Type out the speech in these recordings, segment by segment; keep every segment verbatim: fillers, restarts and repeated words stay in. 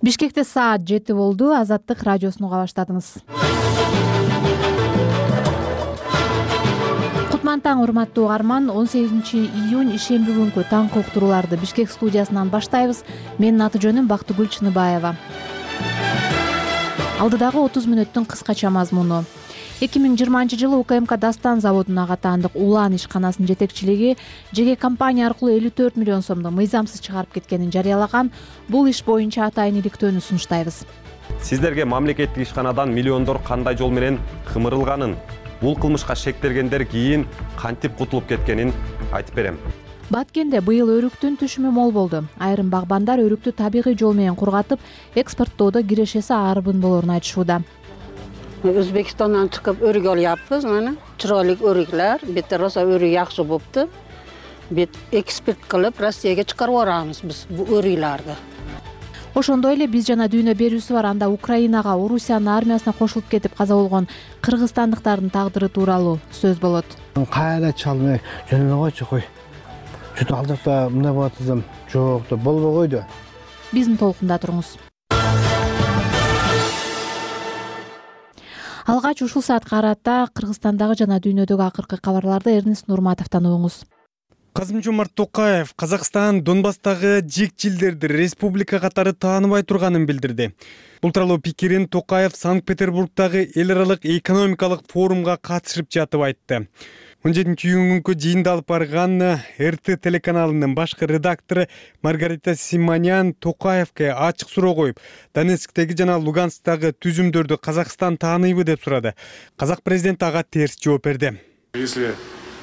Бишкекте саат жети болду. Азаттык радиосуну уга баштадыңыз. Кутман таң, урматтуу угарман. он сегизинчи июнь ишемби күнкү таңкы уктурууларды Бишкек студиясынан баштайбыз. Менин аты жөнүм Бактыгүл Чыныбаева. Алдыдагы отуз мүнөттүн кыскача мазмуну. эки миң жыйырманчы жылы УКМК Дастан заводуна катаандык Улан ишканасынын жетекчилиги жеке компания аркылуу элүү төрт миллион сомду мыйзамсыз чыгарып кеткенин жарыялаган. Бул иш боюнча атайын иликтөөнү сунуштайбыз. Сиздерге мамлекеттик ишканадан миллиондор кандай жол менен кымырылганын, бул кылмышка шектелгендер кийин кантип кутулуп кеткенин айтып берем. Баткенде быйыл өрүктүн түшүмү мол болду. Айрым багбандар өрүктү табигый жол менен кургатып, экспорттоодо кирешеси арбын болоорун айтышууда. Өзбекстандан чыгып өрүк алыппыз, мына чырайлык өрүклөр, бетте роса өрүк жакшы болупту. Бет экспорт кылып Россияга чыгарып барабыз биз бу өрүклөрдү. Ошондой эле биз жана дүйнө берүүсү бар. Анда Украинага, Орусиянын армиясына кошулуп кетип каза болгон кыргызстандыктардын тагдыры тууралуу сөз болот. Кайра чалмай жөнөп койчу кой. Чөтө ал жакта мындай болот десем, жок да болбой койду. Биздин толкунда туруңуз. Алгач ушул саатка карата Кыргызстандагы жана дүйнөдөгү акыркы кабарларды Эрнест Нурматовдон угуңуз. Касым-Жомарт Токаев Казакстан Донбасстагы жикчилдерди республика катары тааныбай турганын билдирди. Бул тууралуу пикирин Токаев Санкт-Петербургдагы эл аралык экономикалык форумга катышып жатып айтты. он жетинчи июнькү жыйында алып барган эр тэ телеканалынын башкы редактору Маргарита Симонян Токаевке ачык суроо коюп, Донецктеги жана Луганскдагы түзүмдөрдү Казакстан тааныйбы деп сурады. Казак президенти ага терс жооп берди. Если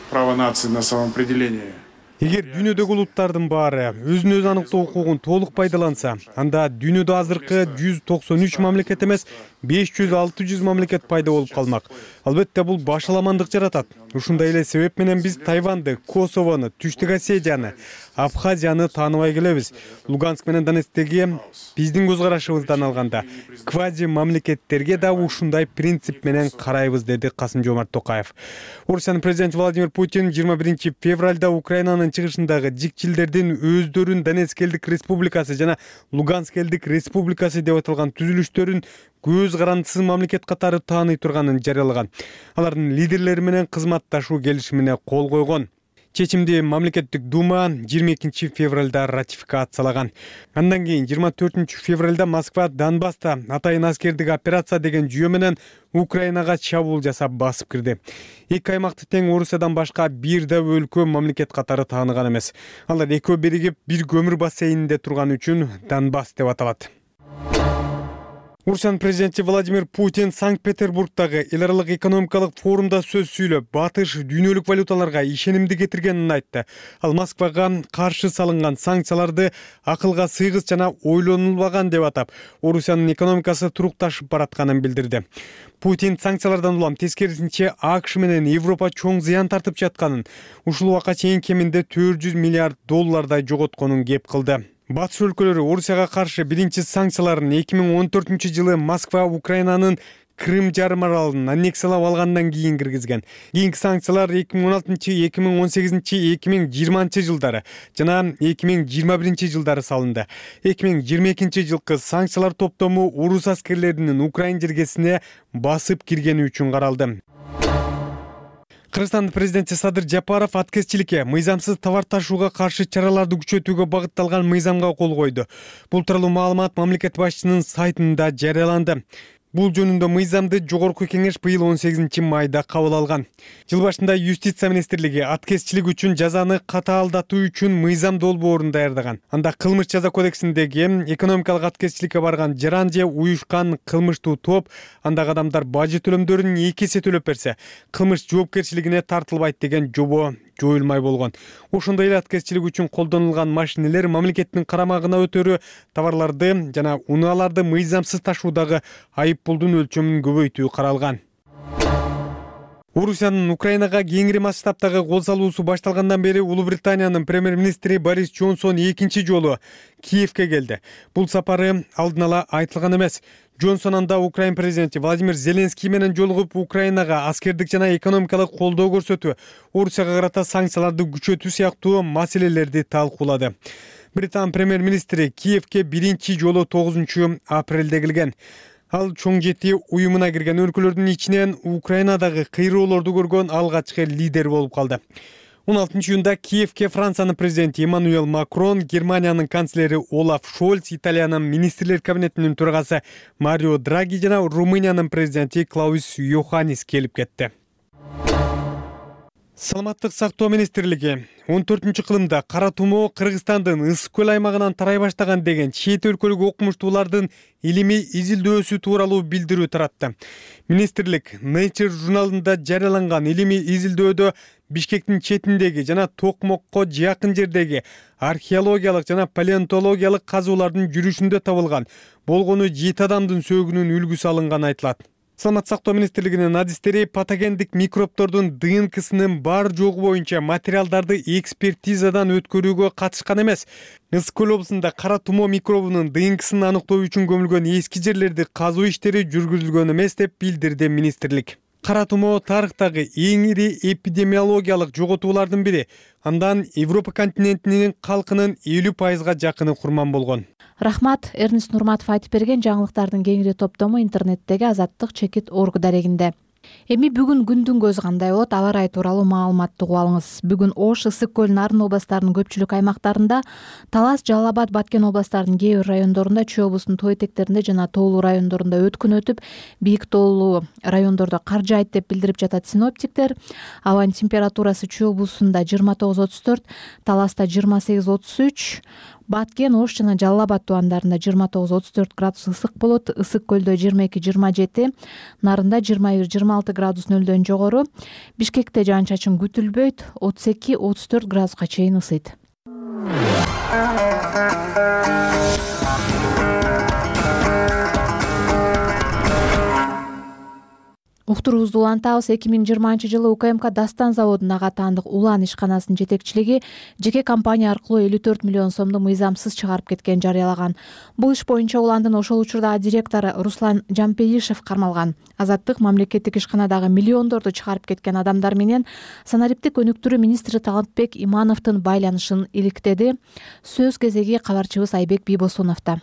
право нации на самоопределение. Эгер дүйнөдөгү улуттардын баары өзүн өзү аныктоо укугун толук пайдаланса, анда дүйнөдө азыркы жүз токсон үч мамлекет эмес, беш жүз алты жүз мамлекет пайда болуп калмак. Албетте бул башаламандык жаратат. Ушундай эле себеп менен биз Тайванды, Косовону, Түштүк Осетияны, Абхазияны тааныбай келебиз. Луганск менен Донецктеги биздин көз карашыбыздан алганда квази мамлекеттерге да ушундай принцип менен карайбыз, деди Касым-Жомарт Токаев. Орусиянын президенти Владимир Путин жыйырма биринчи февралда Украинанын чыгышындагы жикчилдердин өздөрүн Донецк элдик республикасы жана Луганск элдик республикасы деп аталган түзүлүштөрүн көз карандысыз мамлекет катары тааный турганын жарыялаган. Алардын лидерлери менен кызматташуу келишимине кол койгон. Чечимди мамлекеттик дума жыйырма экинчи февралда ратификациялаган. Андан кийин жыйырма төртүнчү февралда Москва Донбасста атайын аскердик операция деген жүйө менен Украинага чабуул жасап басып кирди. Эки аймакты тең Орусиядан башка бир да өлкө мамлекет катары тааныган эмес. Алар экөө биригип бир көмүр бассейнинде турган үчүн Донбасс деп аталат. Орусиянын президенти Владимир Путин Санкт-Петербургдагы эл аралык экономикалык форумда сөз сүйлөп, батыш дүйнөлүк валюталарга ишенимди кетиргенин айтты. Ал Москвага каршы салынган санкцияларды акылга сыйгыс жана ойлонулбаган деп атап, Орусиянын экономикасы турукташып баратканын билдирди. Путин санкциялардан улам тескерисинче АКШ менен Европа чоң зыян тартып жатканын, ушул убакка чейин кеминде төрт жүз миллиард доллардай жоготконун кеп кылды. Батыш өлкөлөрү Орусияга каршы биринчи санкцияларын эки миң он төртүнчү жылы Москва Украинанын Крым жарым аралын аннексиялап алгандан кийин киргизген. Кийинки санкциялар эки миң он алтынчы, эки миң он сегизинчи, эки миң жыйырманчы жылдары жана эки миң жыйырма биринчи жылдары салынды. эки миң жыйырма экинчи жылкы санкциялар топтому орус аскерлеринин Украин жергесине басып киргени үчүн каралды. Кыргызстандын президенти Садыр Жапаров аткезчиликке, мыйзамсыз товар ташууга каршы чараларды күчөтүүгө багытталган мыйзамга кол койду. Бул тууралуу маалымат мамлекет башчысынын сайтында жарыяланды. Бул жөнүндө мыйзамды жогорку кеңеш быйыл он сегизинчи майда кабыл алган. Жыл башында юстиция министрлиги аткезчилик үчүн жазаны катаалдатуу үчүн мыйзам долбоорун даярдаган. Анда кылмыш жаза кодексиндеги экономикалык аткезчиликке барган жаран же уюшкан кылмыштуу топ андагы адамдар бажы төлөмдөрүн эки эсе төлөп берсе, кылмыш жоопкерчилигине тартылбайт деген жобо жоюлмай болгон. Ошондой эле аткезчилик үчүн колдонулган машинелер мамлекеттин карамагына өтөрү, товарларды жана унааларды мыйзамсыз ташуудагы айыппулдун өлчөмүн көбөйтүү каралган. Орусиянын Украинага кеңири масштабтагы кол салуусу башталгандан бери Улуу Британиянын премьер-министри Борис Джонсон экинчи жолу Киевке келди. Бул сапары алдын ала айтылган эмес. Джонсон анда Украин президенти Владимир Зеленский менен жолугуп, Украинага аскердик жана экономикалык колдоо көрсөтүү, Орусияга карата санкцияларды күчөтүү сыяктуу маселелерди талкуулады. Британ премьер-министри Киевке биринчи жолу тогузунчу апрелде келген. Ал чоң жети уюмуна кирген өлкөлөрдүн ичинен Украинадагы кыйроолорду көргөн алгачкы лидер болуп калды. он алтынчы июнда Киевке Франциянын президенти Эммануэл Макрон, Германиянын канцлери Олаф Шольц, Италиянын министрлер кабинетинин төрагасы Марио Драги жана Румыниянын президенти Клаус Йоханнис келип кетти. Саламаттык сактоо министрлиги он төртүнчү кылымда кара тумоо Кыргызстандын ысык көл аймагынан тарай баштаган деген чет өлкөлүк окумуштуулардын илимий изилдөөсү тууралуу билдирүү таратты. Министрлик Nature журналында жарыяланган илимий изилдөөдө Бишкектин четиндеги жана Токмокко жакын жердеги археологиялык жана палеонтологиялык казуулардын жүрүшүндө табылган болгону жети адамдын сөөгүнүн үлгүсү алынганы айтылат. Саламаттык сактоо министрлигинин адистери патогендик микробтордун ди эн кесинин бар жогу боюнча материалдарды экспертизадан өткөрүүгө катышкан эмес. Ысык көл облусунда кара тумоо микробунун ди эн кесин аныктоо үчүн көмүлгөн эски жерлерди казуу иштери жүргүзүлгөн эмес деп билдирди министрлик. Кара тумоо тарыхтагы эң ири эпидемиологиялык жоготуулардын бири. Андан Европа континентинин калкынын элүү пайызга жакыны курман болгон. Рахмат, Эрнест Нурматов айтып берген жаңылыктардын кеңири топтому интернеттеги Азаттык чекит орг дарегинде. Эми бүгүн күндүн көзү кандай болот, аба ырайы тууралуу маалыматты угуп алыңыз. Бүгүн Ош, Ысык көл, Нарын областарынын көпчүлүк аймактарында, Талас, Жалал Абад, Баткен областарынын кээ бир райондорунда, Чүй облусунун тоо этектеринде жана тоолуу райондорунда өткүн өтүп, бийик тоолуу райондордо кар жаайт деп билдирип жатат синоптиктер. Абанын температурасы Чүй облусунда жыйырма тогуз отуз төрт, Таласта жыйырма сегиз отуз үч, Баткен, Ош жана Жалал Абад тубандарында жыйырма тогуз отуз төрт градус ысык болот. Ысык көлдө жыйырма эки жыйырма жети, Нарында жыйырма бир жыйырма алты градус нөлдөн жогору. Бишкекте жаан-чачын күтүлбөйт, отуз эки отуз төрт градуска чейин ысыйт. Уктуруубузду улантабыз. эки миң жыйырманчы жылы У К М К Дастан заводунун ага таандык Улан ишканасынын жетекчилиги жеке компания аркылуу элүү төрт миллион сомду мыйзамсыз чыгарып кеткенин жарыялаган. Бул иш боюнча уландын ошол учурдагы директору Руслан Жампеишев кармалган. Азаттык мамлекеттик ишканадагы миллиондорду чыгарып кеткен адамдар менен санариптик өнүктүрүү министри Талантбек Имановдун байланышын иликтеди. Сөз кезеги кабарчыбыз Айбек Бийбосуновдо.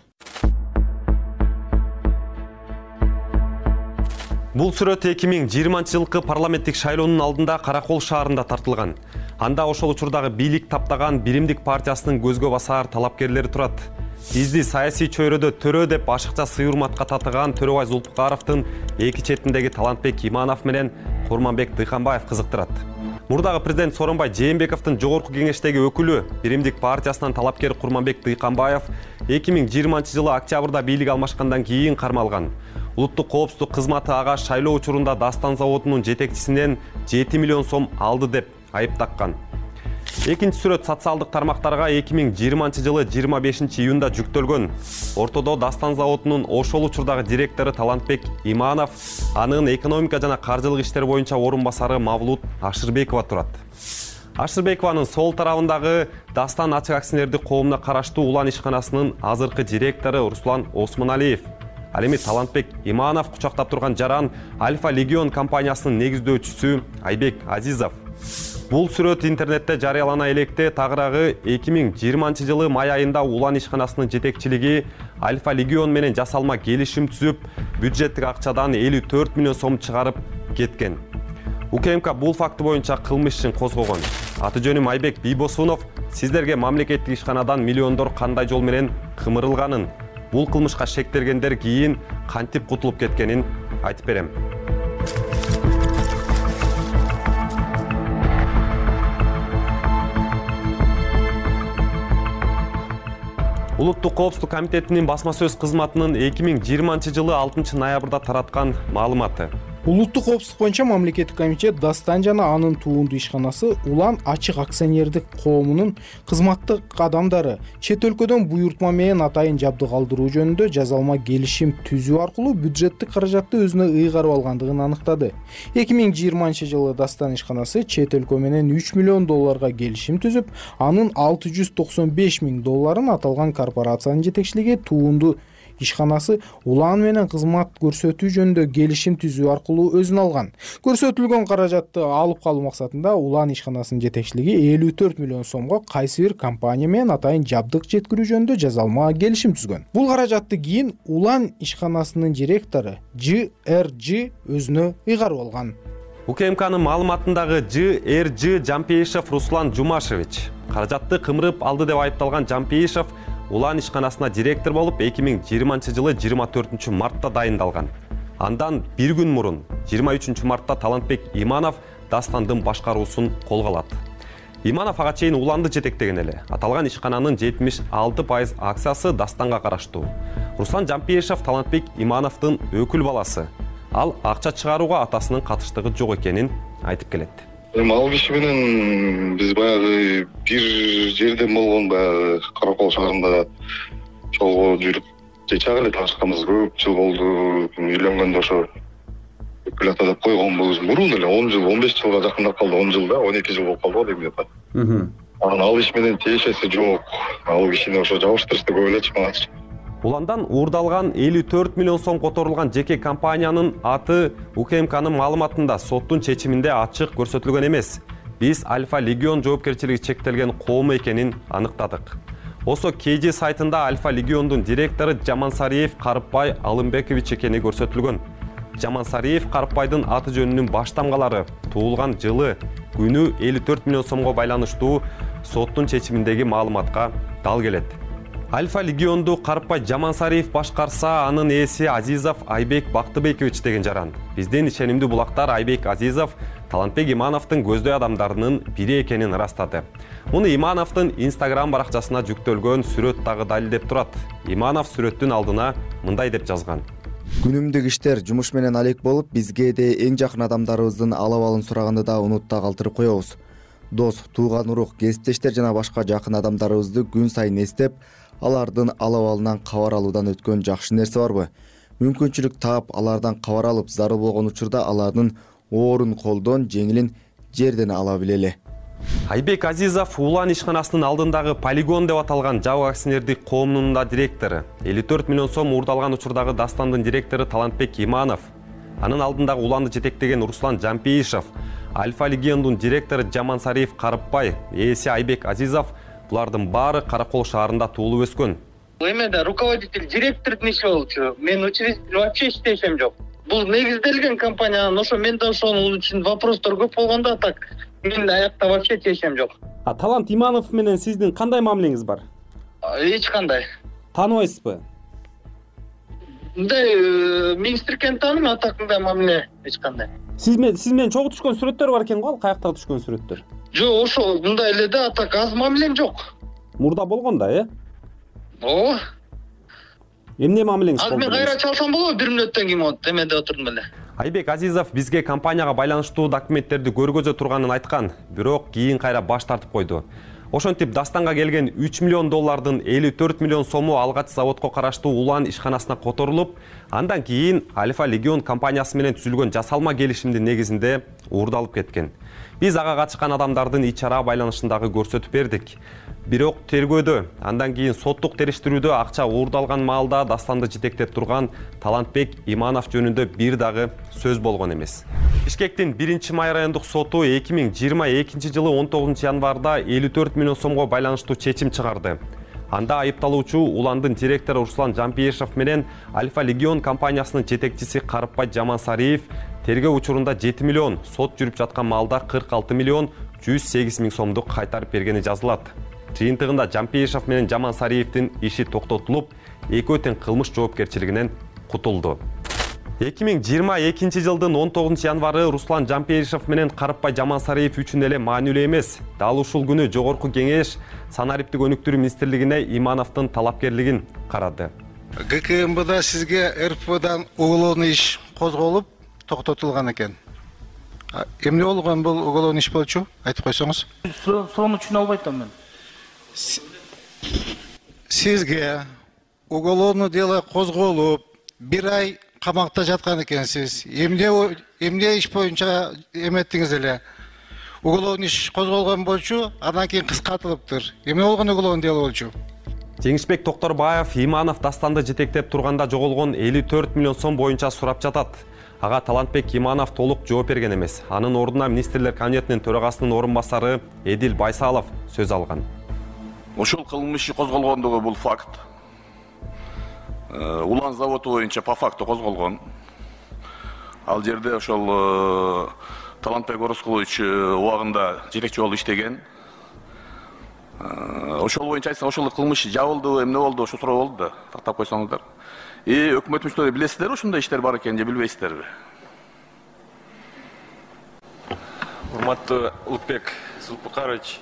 Бул сүрөт эки миң жыйырманчы жылкы парламенттик шайлоонун алдында Каракол шаарында тартылган. Анда ошол учурдагы бийлик таптаган Биримдик партиясынын көзгө басар талапкерлери турат. Бизди саясий чөйрөдө төрө деп ашыкча сый урматка татыган Төрөбай Зулпукаровдун эки четиндеги Талантбек Иманов менен Курманбек Дыйканбаев кызыктырат. Мурдагы президент Сооронбай Жээнбековдун жогорку кеңештеги өкүлү Биримдик партиясынын талапкер Курманбек Дыйканбаев эки миң жыйырманчы жылы октябрда бийлик алмашкандан кийин кармалган. Улуттук коопсуздук кызматы ага шайлоо учурунда Дастан заводунун жетекчисинен жети миллион сом алды деп айып таккан. Экинчи сүрөт социалдык тармактарга эки миң жыйырманчы жылы жыйырма бешинчи июнда жүктөлгөн. Ортодо Дастан заводунун ошол учурдагы директору Талантбек Иманов, анын экономика жана каржылык иштер боюнча орун басары Мавлут Ашырбекова турат. Ашырбекованын сол тарабындагы Дастан ачык акционердик коомуна караштуу Улан ишканасынын азыркы директору Руслан Осмоналиев. Ал эми Талантбек Иманов кучактап турган жаран Альфа Легион компаниясынын негиздөөчүсү Айбек Азизов. Бул сүрөт интернетте жарыялана электе тагыраагы эки миң жыйырманчы жылы май айында Улан ишканасынын жетекчилиги Альфа Легион менен жасалма келишим түзүп, бюджеттик акчадан элүү төрт миллион сом чыгарып кеткен. У К М К бул факты боюнча кылмыш ишин козгогон. Аты жөнүм Айбек Бийбосунов. Сиздерге мамлекеттик ишканадан миллиондор кандай жол менен кымырылганын, бул кылмышка шектелгендер кийин кантип кутулуп кеткенин айтып берем. Улуттук коопсуздук комитетинин басма сөз кызматынын эки миң жыйырманчы жылы алтынчы ноябрда тараткан маалыматы. Улуттук коопсуздук боюнча мамлекеттик комитет Дастан жана анын туунду ишканасы Улан ачык акционердик коомунун кызматтык адамдары чет өлкөдөн буйртма менен атайын жабдык алдыруу жөнүндө жазалма келишим түзүү аркылуу бюджеттик каражатты өзүнө ыйгарып алгандыгын аныктады. эки миң жыйырманчы жылы Дастан ишканасы чет өлкө менен үч миллион долларга келишим түзүп, анын алты жүз токсон беш миң долларын аталган корпорациянын жетекчилиги туунду ишканасы улан менен кызмат көрсөтүү жөнүндө келишим түзүү аркылуу өзүн алган. Көрсөтүлгөн каражатты алып калуу максатында улан ишканасынын жетекчилиги элүү төрт миллион сомго кайсы бир компания менен атайын жабдык жеткирүү жөнүндө жазалма келишим түзгөн. Бул каражатты кийин улан ишканасынын директору Ж Р Ж өзүнө ыйгарып алган. УКМКнын маалыматындагы Ж Р Ж Жампейишев Руслан Жумашевич каражатты кымырып алды деп айыпталган Жампейишев улан ишканасына директор болуп эки миң жыйырманчы жылы жыйырма төртүнчү мартта дайындалган. Андан бир күн мурун жыйырма үчүнчү мартта Талантбек Иманов Дастандын башкаруусун колго алат. Иманов ага чейин уланды жетектеген эле. Аталган ишкананын жетимиш алты пайыз акциясы Дастанга караштуу. Руслан Жампейишев Талантбек Имановдун өкүл баласы. Ал акча чыгарууга атасынын катыштыгы жок экенин айтып келет. Эми ал киши менен биз баягы бир жерден болгон баягы Каракол шаарында жолго жүрүп жечак эле таанышканбыз. Көп жыл болду. Үйлөнгөндө ошо өкүлата деп койгонбуз. Мурун эле он жыл, он беш жылга жакындап калды. он жыл да, он эки жыл болуп калды дейм деп. Анан ал иш менен тиешеси жок. Ал кишини ошо жабыштырышты көп элечи мага. Уландан уурдалган элүү төрт миллион сом которулган жеке компаниянын аты УКМКнын маалыматында соттун чечиминде ачык көрсөтүлгөн эмес. Биз Альфа Легион жоопкерчилиги чектелген коом экенин аныктадык. Осо кей жи сайтында Альфа Легиондун директору Жамансариев Карыпбай Алымбекович экени көрсөтүлгөн. Жамансариев Карыпбайдын аты жөнүнүн баш тамгалары туулган жылы, күнү элүү төрт миллион сомго байланыштуу соттун чечиминдеги маалыматка дал келет. Альфа Легионду Карыпбай Жамансариев башкарса, анын ээси Азизов Айбек Бактыбекович деген жаран. Биздин ишенимдүү булактар Айбек Азизов Талантбек Имановдун көздөй адамдарынын бири экенин ырастады. Муну Имановдун Instagram баракчасына жүктөлгөн сүрөт дагы далилдеп турат. Иманов сүрөттүн алдына мындай деп жазган: Күнүмдүк иштер жумуш менен алек болуп, бизге де эң жакын адамдарыбыздын алабалын сураганды да унутта калтырып коебуз. Дос, тууган урук, кесиптештер жана башка жакын адамдарыбызды күн сайын эстеп, алардын алабалынан кабар алуудан өткөн жакшы нерсе барбы? Мүмкүнчүлүк таап, алардан кабар алып, зарыл болгон учурда алардын оорун колдон, жеңилин жерден ала билели. Айбек Азизов улан ишканасынын алдындагы полигон деп аталган жабык акционердик коомунун да директору. элүү төрт миллион сом уурдалган учурдагы Дастандын директору Талантбек Иманов. Анын алдындагы уланды жетектеген Руслан Жампейишев, Альфа Легиондун директору Жамансариев Карыпбай, ээси Айбек Азизов булардын баары Каракол шаарында туулуп өскөн. Эмеде руководитель, директордун иши болчу. Мен учредитель вообще иштешем жок. Бул негизделген компания, ошо менде ошонун үчүн вопростор көп болгондо, так мен аякта вообще тиешем жок. А Талант Иманов менен сиздин кандай мамилеңиз бар? Эч кандай. Тааныбайсызбы? Мындай министркен тааным, а так мындай мамиле эч кандай. Сиз менен сиз менен чогуу түшкөн сүрөттөр бар экен го, ал каяктагы түшкөн сүрөттөр? Жок, ошо мындай эле да, а так аз мамилем жок. Мурда болгон да, э? Ооба. Эмне мамилеңиз болду? Ал мен кайра чалсам болобу бир мүнөттөн кийин вот эмеде отурдум эле. Айбек Азизов бизге компанияга байланыштуу документтерди көргөзө турганын айткан, бирок кийин кайра баш тартып койду. Ошентип Дастанга келген үч миллион доллардын элүү төрт миллион сому алгач заводко караштуу улан ишканасына которулуп, андан кийин Альфа Легион компаниясы менен түзүлгөн жасалма келишимдин негизинде уурдалып кеткен. Биз ага катышкан адамдардын ич-чара байланышындагы көрсөтүп бердик. Бирок тергөөдө, андан кийин соттук териштирүүдө акча уурдалган маалда Дастанды жетектеп турган Талантбек Иманов жөнүндө бир дагы сөз болгон эмес. Бишкектин биринчи май райондук соту эки миң жыйырма экинчи жылы он тогузунчу январда элүү төрт миллион сомго байланыштуу чечим чыгарды. Анда айыпталуучу уландын директору Руслан Жампейишев менен Альфа Легион компаниясынын жетекчиси Карыпбай Жамансариев тергөө учурунда жети миллион, сот жүрүп жаткан маалда кырк алты миллион жүз сегиз миң сомду кайтарып бергени жазылат. Жыйынтыгында Жампейишев менен Жамансариевдин иши токтотулуп, экөө тең кылмыш жоопкерчилигинен кутулду. эки миң жыйырма экинчи жылдын он тогузунчу январы Руслан Жампейишев менен Карыпбай Жамансариев үчүн эле маанилүү эмес. Дал ушул күнү Жогорку Кеңеш санариптик өнүктүрүү министрлигине Имановдун талапкерлигин карады. Г К М Бда сизге Р П Дан уголовный иш козголуп, токтотулган экен. Эмне болгон бул уголовный иш болчу? Айтып койсоңуз. Суроonu түшүнө албай атам мен. Сизге уголовный дело козголуп, бир ай камакта жаткан экенсиз. Эмне эмне иш боюнча эметтиңиз эле? Уголовный иш козголгон болчу, андан кийин кыскартылыптыр. Эмне болгон уголовный дело болчу? Жеңишбек Токторбаев Иманов Дастанды жетектеп турганда жоголгон элүү төрт миллион сом боюнча сурап жатат. Ага Талантбек Иманов толук жооп берген эмес. Анын ордуна министрлер кабинетинин төрагасынын орун басары Эдил Байсалов сөз алган. Ошол кылмыш козголгондугу бул факт. Улан заводу боюнча по факту козголгон. Ал жерде ошол Талантбек Орозкулович убагында жетекчи болуп иштеген. Ошол боюнча айтсак, ошол кылмыш жабылды, эмне болду, ошо суроо болду да, тактап койсоңуздар. И өкмөтүбүздө билесиздерби ушундай иштер бар экенин же билбейсиздерби? Урматтуу Улукбек Зулпукарович,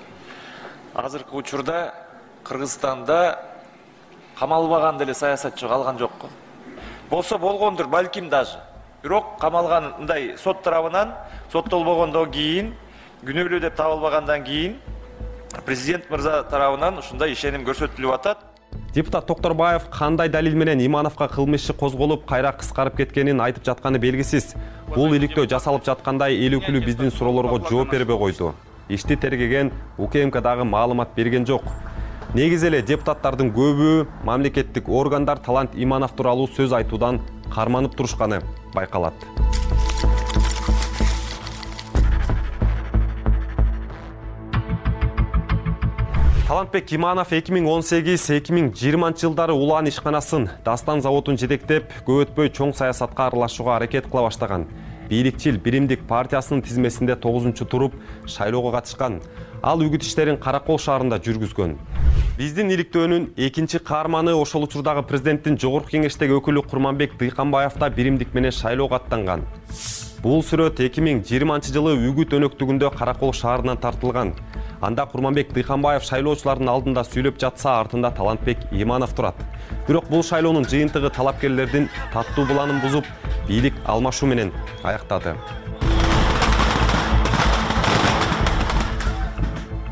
азыркы учурда Кыргызстанда камалбаган деле саясатчы калган жокко. Болсо болгондур, балким даже. Бирок камалгандай сот тарабынан соттолбогондон кийин, күнөөлүү деп табылбагандан кийин президент мырза тарабынан ушундай ишеним көрсөтүлүп атат. Депутат Токторбаев кандай далил менен Имановго кылмыш иши козголуп, кайра кыскарып кеткенин айтып жатканы белгисиз. Бул иликтөө жасалып жаткандай эл өкүлү биздин суроолорго жооп бербей койду. Ишти тергеген УКМК дагы маалымат берген жок. Негизи эле депутаттардын көбү мамлекеттик органдар Талант Иманов тууралуу сөз айтуудан карманып турушканы байкалат. Талантбек Иманов эки миң он сегиз эки миң жыйырманчы жылдары Улан ишканасын, Дастан заводун жетектеп, көп өтпөй чоң саясатка аралашууга аракет кыла баштаган. Бийликчил Биримдик партиясынын тизмесинде тогузунчу туруп шайлоого катышкан. Ал үгүт иштерин Каракол шаарында жүргүзгөн. Биздин иликтөөнүн экинчи каарманы ошол учурдагы президенттин жогорку кеңештеги өкүлү Курманбек Дыйканбаев да Биримдик менен шайлоого аттанган. Бул сүрөт эки миң жыйырманчы жылы үгүт өнөктүгүндө Каракол шаарынан тартылган. Анда Курманбек Дыйканбаев шайлоочулардын алдында сүйлөп жатса, артында Талантбек Иманов турат. Бирок бул шайлоонун жыйынтыгы талапкерлердин таттуу планын бузуп, бийлик алмашуу менен аяктады.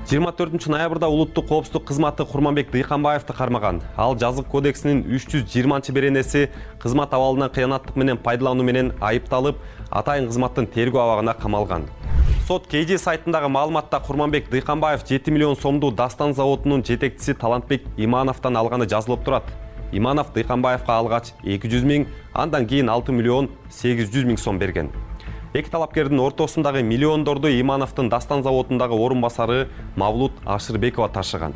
жыйырма төртүнчү ноябрда улуттук коопсуздук кызматы Курманбек Дыйканбаевди кармаган. Ал жазык кодексинин үч жүз жыйырманчы беренеси кызмат абалынан кыянаттык менен пайдалануу менен айыпталып, атайын кызматтын тергөө абагына камалган. Сот КЖ сайтындагы маалыматта Курманбек Дыйканбаев жети миллион сомду Дастан заводунун жетекчиси Талантбек Имановдон алганы жазылып турат. Иманов Дыйканбаевга алгач эки жүз миң, андан кийин алты миллион сегиз жүз миң сом берген. Эки талапкердин ортосундагы миллиондорду Имановдун Дастан заводундагы орун басары Мавлут Ашырбекова ташыган.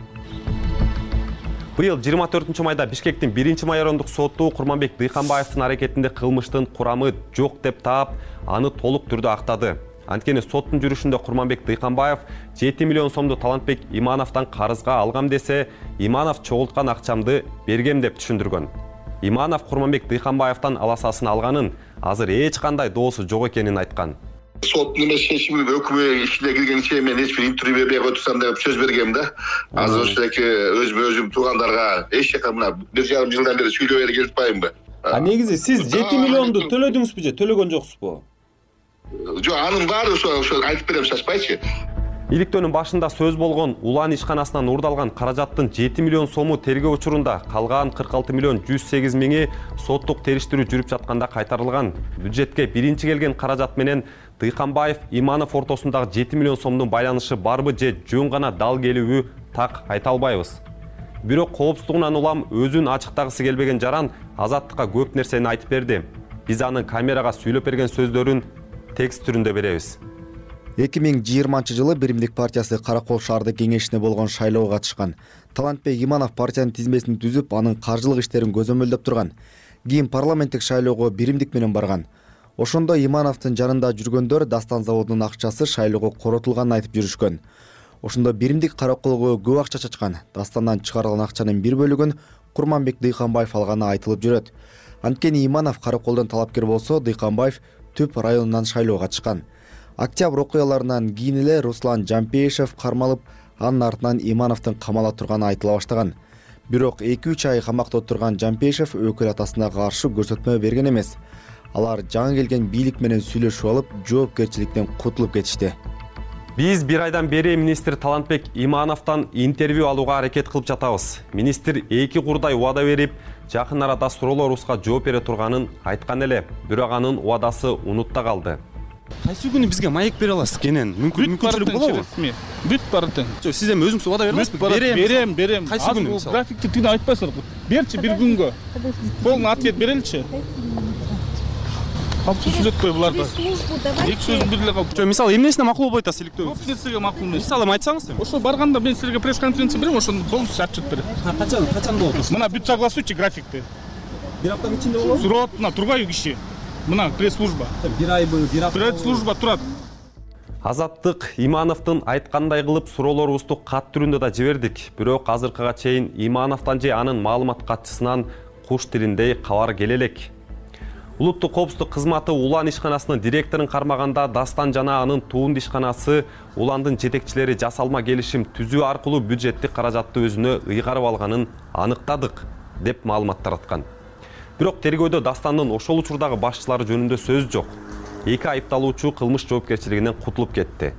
Быйыл жыйырма төртүнчү майда Бишкектин биринчи майорондук соту Курманбек Дыйканбаевдин аракетинде кылмыштын курамы жок деп таап, аны толук түрдө актады. Анткени соттун жүрүшүндө Курманбек Дыйканбаев жети миллион сомду Талантбек Имановдон карызга алгам десе, Иманов чогулткан акчамды бергем деп түшүндүргөн. Иманов Курманбек Дыйканбаевдон аласасын алганын, азыр эч кандай доосу жок экенин айткан. Соттун эмес чечими өкмө ишине киргенче мен эч бир интервью бербей отурсам деп сөз бергем да. Азыр ошондой өзүм өзүм туугандарга эч жака мына бир жарым жылдан бери сүйлөп эле келишпайбы. А негизи сиз жети миллионду төлөдүңүзбү же төлөгөн жоксузбу? Жок, анын баары ошо ошо айтып берем, шашпайчы. Иликтөөнүн башында сөз болгон Улан ишканасынан урдалган каражаттын жети миллион сому тергөө учурунда, калган кырк алты миллион жүз сегиз миңи соттук териштирүү жүрүп жатканда кайтарылган. Бюджетке биринчи келген каражат менен Дыйканбаев Иманов ортосундагы жети миллион сомдун байланышы барбы же жөн гана дал келүүбү так айта албайбыз. Бирок коопсуздугунан улам өзүн ачыктагысы келбеген жаран Азаттыкка көп нерсени айтып берди. Биз анын камерага сүйлөп берген сөздөрүн текст түрүндө беребиз. эки миң жыйырманчы жылы Биримдик партиясы Каракол шаардык кеңешине болгон шайлоого катышкан. Талантбек Иманов партиянын тизмесин түзүп, анын каржылык иштерин көзөмөлдөп турган. Кийин парламенттик шайлоого Биримдик менен барган. Ошондо Имановдун жанында жүргөндөр Дастан заводунун акчасы шайлоого коротулганын айтып жүрүшкөн. Ошондо Биримдик Караколго көп акча чачкан. Дастандан чыгарылган акчанын бир бөлүгүн Курманбек Дыйканбаев алганы айтылып жүрөт. Анткени Иманов Караколдон талапкер болсо, Дыйканбаев Түп районунан шайлоого катышкан. Октябрь окуяларынан кийин эле Руслан Жампеишев кармалып, анын артынан Имановдун камала турганы айтыла баштаган. Бирок эки үч ай камакта отурган Жампеишев өкүл атасына каршы көрсөтмө берген эмес. Алар жаңы келген бийлик менен сүйлөшүп алып, жоопкерчиликтен кутулуп кетишти. Биз бир айдан бери министр Талантбек Имановдон интервью алууга аракет кылып жатабыз. Министр эки курдай убада берип, жакын арада суроолорубузга жооп бере турганын айткан эле, бирок анын убадасы унутта калды. Кайсы күнү бизге маек бере аласыз кенен? Мүмкүнчүлүк болобу? Бүт баратын. Сиз эми өзүңүз вада бере аласызбы? Берем, берем, берем. Кайсы күнү мисалы? Графикти тине айтпайсыңар. Берчи бир күнгө. Полный ответ береличи. Калпты сүйлөтпөй буларды. Эки сөз бириле калып. Жо, мисалы эмнесине макул болуп атасыз иликтөө? Көп нерсеге макул эмес. Мисалы айтсаңыз эми. Ошо барганда мен силерге пресс-конференция берем, ошону полностью отчет берем. Качан, качан болот ошо? Мына бүт согласуйте графикти. Бир аптанын ичинде болобу? Сурат, мына турбайбы киши. Мына пресс-служба. Бир айбы, бир апта. Пресс-служба турат. Азаттык Имановдун айткандай кылып суроолорубузду кат түрүндө да жибердик. Бирок азыркыга чейин Имановдон же анын маалымат катчысынан куш тилиндей кабар келе элек. Улуттук коопсуздук кызматы Улан ишканасынын директорун кармаганда Дастан жана анын туунду ишканасы Уландын жетекчилери жасалма келишим түзүү аркылуу бюджеттик каражатты өзүнө ыйгарып алганын аныктадык деп маалымат тараткан. Бирок тергөөдө Дастандын ошол учурдагы башчылары жөнүндө сөз жок. Эки айыпталуучу кылмыш жоопкерчилигинен кутулуп кетти.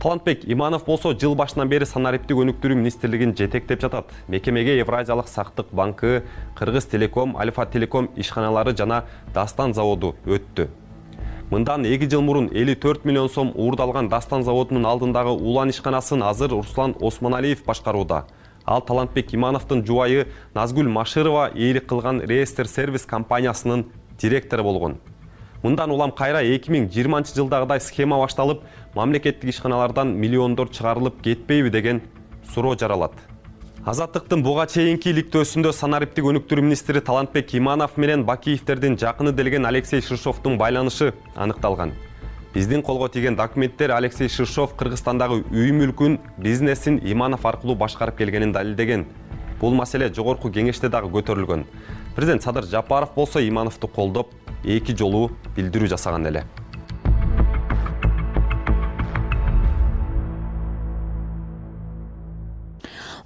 Талантбек Иманов болсо жыл башынан бери санариптик өнүктүрүү министрлигин жетектеп жатат. Мекемеге Евразиялык сактык банкы, Кыргыз Телеком, Альфа Телеком ишканалары жана Дастан заводу өттү. Мындан эки жыл мурун элүү төрт миллион сом уурдалган Дастан заводунун алдындагы Улан ишканасын азыр Руслан Осмоналиев башкарууда. Ал Талантбек Имановдун жубайы Назгүл Машырова ээлик кылган реестр сервис компаниясынын директору болгон. Мындан улам кайра эки миң жыйырманчы жылдагыдай схема башталып, мамлекеттик ишканалардан миллиондор чыгарылып кетпейби деген суроо жаралат. Азаттыктын буга чейинки иликтөөсүндө санариптик өнүктүрүү министри Талантбек Иманов менен Бакиевтердин жакыны делген Алексей Шишовдун байланышы аныкталган. Биздин колго тийген документтер Алексей Шишов Кыргызстандагы үй мүлкүн, бизнесин Иманов аркылуу башкарып келгенин далилдеген. Бул маселе жогорку кеңеште дагы көтөрүлгөн. Президент Садыр Жапаров болсо Имановду колдоп, эки жолу билдирүү жасаган эле.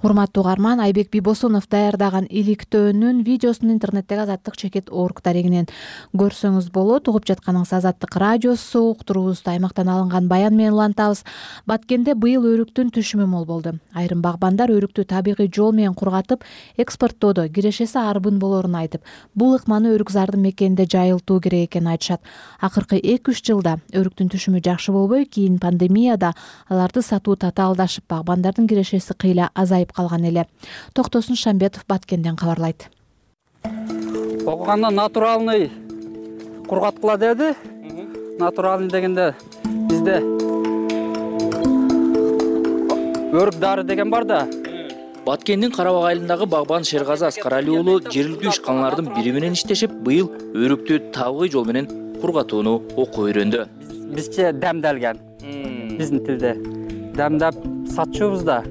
Урматтуу угарман, Айбек Бибосунов даярдаган иликтөөнүн видеосун интернеттеги Азаттык чекит орг дарегинен көрсөңүз болот. Угуп жатканыңыз Азаттык радиосу, уктуруубузду аймактан алынган баян менен улантабыз. Баткенде быйыл өрүктүн түшүмү мол болду. Айрым багбандар өрүктү табигый жол менен кургатып, экспорттоодо кирешеси арбын болоорун айтып, бул ыкманы өрүкзардын мекенинде жайылтуу керек экенин айтышат. Акыркы эки үч жылда өрүктүн түшүмү жакшы болбой, кийин пандемияда аларды сатуу татаалдашып, багбандардын кирешеси кыйла азайып калган эле. Токтосун Шамбетов Баткенден кабарлайт. Окуганда натуральный кургаткыла деди. Натуральный дегенде бизде өрүк дары деген бар да. Баткендин Карабак айылындагы багбан Шергазы Аскарали уулу жергиликтүү ишканалардын бири менен иштешип, быйыл өрүктү табигый жол менен кургатууну окуп үйрөндү. Бизче демделген. Биздин тилде демдеп сатчубуз да.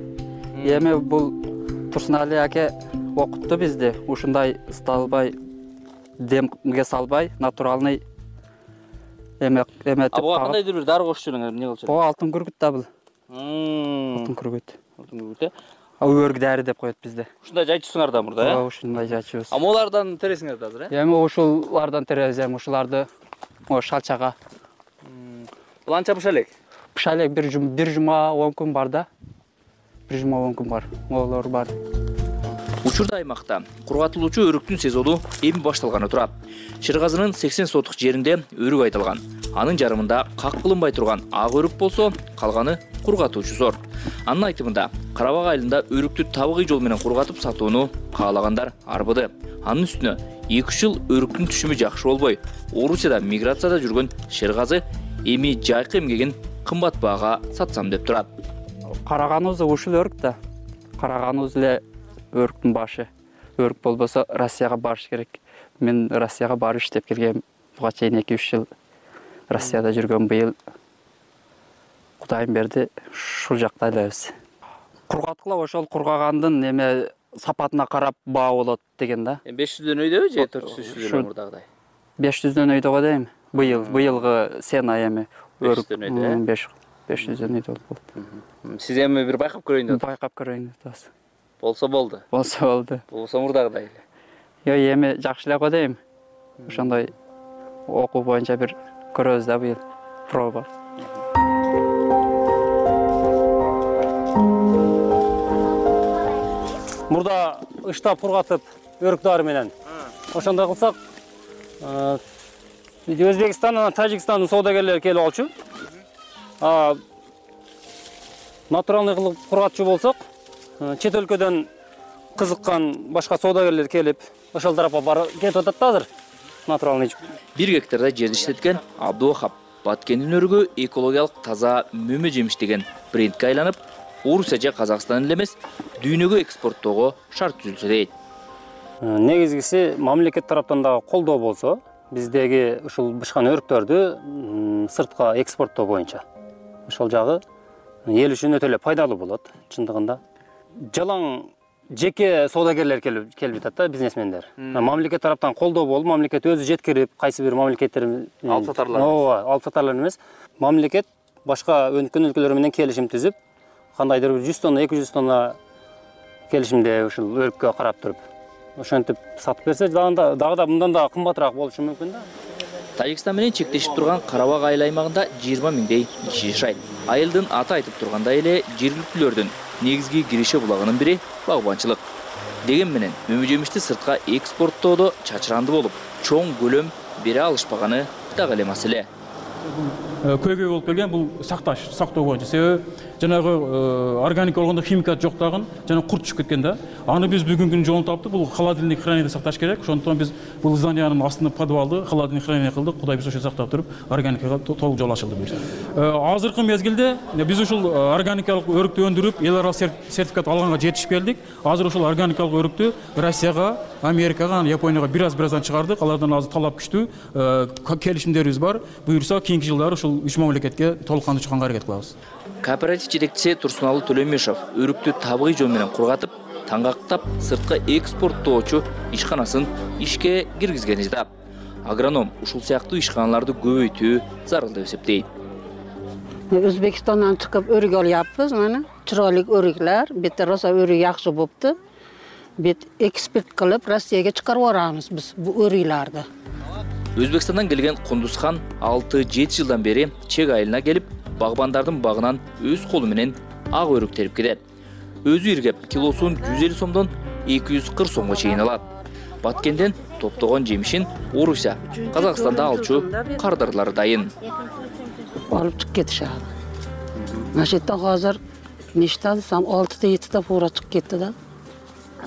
Эми бул Турсунали аке окутту бизди. Ушундай ысталбай, демге салбай, натуральный эме эметип. А буга кандайдыр бир дары кошуп жүрүңөр, эмне болчу? Бул алтын күргүт да бул. Алтын күргүт. Алтын күргүт э? Өрүк дары деп коет бизде. Ушундай жайчусуңар да мурда, э? Ооба, ушундай жайчубуз. А молардан тересиңер да азыр, э? Эми ушулардан теребиз, эми ушуларды о шалчага. Бул анча быша элек? Быша элек бир жума, бир жума он күн бар да. бир жума он күн бар. Молор бар. Учурда аймакта кургатылуучу өрүктүн сезону эми башталганы турат. Шергазынын сексен сотук жеринде өрүк айтылган. Анын жарымында как кылынбай турган ак өрүк болсо, калганы кургатуучу зор. Анын айтымында, Карабак айылында өрүктү табигый жол менен кургатып сатууну каалагандар арбыды. Анын үстүнө эки үч жыл өрүктүн түшүмү жакшы болбой, Орусияда миграцияда жүргөн Шергазы эми жайкы эмгегин кымбат баага сатсам деп турат. Караганыбыз ушул өрүк да. Караганыбыз эле өрүктүн башы. Өрүк болбосо Россияга барыш керек. Мен Россияга барып иштеп келгем. Буга чейин эки үч жыл Россияда жүргөн, быйыл Кудайым берди, ушул жакта элебиз. Кургаткыла ошол кургагандын эме сапатына карап баа болот деген да. беш жүздөн өйдөбү же төрт жүз жүздөн мурдагыдай? беш жүздөн өйдө го дейм. Быйыл, быйылгы сена эми өрүк өйдө. беш жүздөн өйдө болду. Сиз эми бир байкап көрөйүн деп. Байкап көрөйүн деп. Болсо болду. Болсо болду. Болсо мурдагыдай эле. Йо, эми жакшы эле го дейм. Ошондой окуу боюнча бир көрөбүз да быйыл. Проба. Мурда ыштап кургатып өрүк дары менен. Ошондой кылсак, Өзбекстандан, Тажикстандын соодагерлери келип алчу. натуралдуу кылып кургатчу болсок, чет өлкөдөн кызыккан башка соодагерлер келип, ошол тарапка барып кетип атат да азыр. Натуралдуу. Бир гектарда жерди иштеткен Абдувахап Баткендин өрүгү экологиялык таза мөмө жемиш деген брендке айланып, Орусия же Казакстан эле эмес, дүйнөгө экспорттоого шарт түзүлсө дейт. Негизгиси мамлекет тараптан дагы колдоо болсо, биздеги ушул бышкан өрүктөрдү сыртка экспорттоо боюнча. Ошол жагы эл үчүн өтө эле пайдалуу болот, чындыгында. Жалаң жеке соодагерлер келип келип атат да, бизнесмендер. Мамлекет тараптан колдоо болуп, мамлекет өзү жеткирип, кайсы бир мамлекеттер алып сатарлар. Ооба, алып сатарлар эмес. Мамлекет башка өнүккөн өлкөлөр менен келишим түзүп, кандайдыр бир жүз тонна, эки жүз тонна келишимде ушул өрүккө карап туруп, ошентип сатып берсе, дагы да мындан да кымбатыраак болушу мүмкүн да. Тажикстан менен чектешип турган Карабак айыл аймагында жыйырма миңдей киши жашайт. Айылдын аты айтып тургандай эле жергиликтүүлөрдүн негизги киреше булагынын бири багбанчылык. Деген менен мөмө жемишти сыртка экспорттоодо чачыранды болуп, чоң көлөм бере алышпаганы дагы эле маселе. Көйгөй болуп келген бул сакташ, сактоо боюнча. Себеби жанагы органик болгондо химикат жок дагы, жана курт түшүп кеткен да. Аны биз бүгүнкү күнү жолун таптык. Бул холодильник хранилиде сакташ керек. Ошондон биз бул зданиянын астында подвалды холодильник хранилие кылдык. Кудай буюрса ошо сактап туруп, органикага толук жол ачылды бир. Азыркы мезгилде биз ушул органикалык өрүктү өндүрүп, эл аралык сертификат алганга жетишип келдик. Азыр ушул органикалык өрүктү Россияга, Америкага, Японияга бир-аз-бираздан чыгардык. Алардан азыр талап күчтүү, келишимдерибиз бар. Буюрса кийинки жылдары ушул үч мамлекетке толук кандуу чыкканга аракет кылабыз. Кооператив жетекчиси Турсуналы Төлөмешов өрүктү табигый жол менен кургатып, таңгактап сыртка экспорттоочу ишканасын ишке киргизгени жатат. Агроном ушул сыяктуу ишканаларды көбөйтүү зарыл деп эсептейт. Өзбекстандан чыгып өрүк алыппыз, мына чырайлык өрүклөр, бетте роса өрүк жакшы болупту. Бет экспорт кылып Россияга чыгарып барабыз биз бу өрүклөрдү. Өзбекстандан келген Кундузхан алты-жети жылдан бери Чек айылына келип, багбандардын багынан өз колу менен ак өрүк терип кетет. Өзү иргеп, килосун жүз элүү сомдон эки жүз кырк сомго чейин алат. Баткенден топтогон жемишин Орусия, Казакстанда алчу кардарлары дайын. Алып чыгып кетишет. Машетте азыр нечте десем алты-жети фура чыгып кетти да.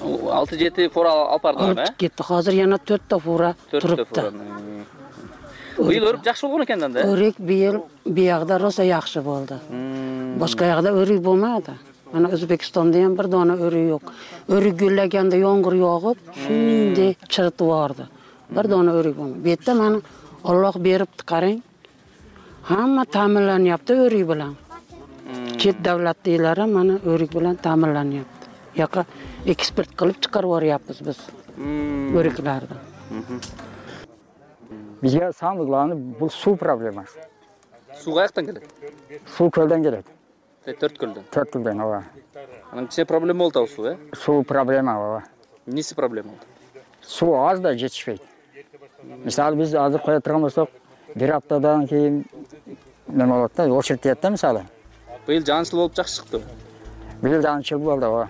алты-жети фура алып бардыңар, э? Алып кетти. Азыр yana төрт фура турупты. Быйыл өрүк жакшы болгон экен да? Өрүк быйыл биягда роса жакшы болду. Башка жакта өрүк болмады. Ана Өзбекстанда ham bir dona өрүк жок. Өрүк гүллөгөндө yomg'ir yog'ib, shunday chirtib bordi. Bir dona өрүк болмады. Bu yerda mana Alloh beribdi, qarang. Hamma ta'minlanyapti өрүк bilan. Chet davlatdagilar mana өрүк bilan ta'minlanyapti. Yoqqa eksport qilib chiqarib yuboryapmiz biz өрүклөрдү. Bizga самый главный bu suv problemasi. Suv qayerdan keladi? Suv ko'ldan keladi. Төрт көлдөн. Төрт көлдөн, ооба. Анын кичине проблема болду суу, э? Суу проблема, ооба. Эмнеси проблема болду? Суу аз да жетишпейт. Мисалы биз азыр кое турган болсок, бир аптадан кийин неме болот да, очередь тиет да мисалы. Быйыл жаанчыл болуп жакшы чыкты. Быйыл жаанчыл болду, ооба.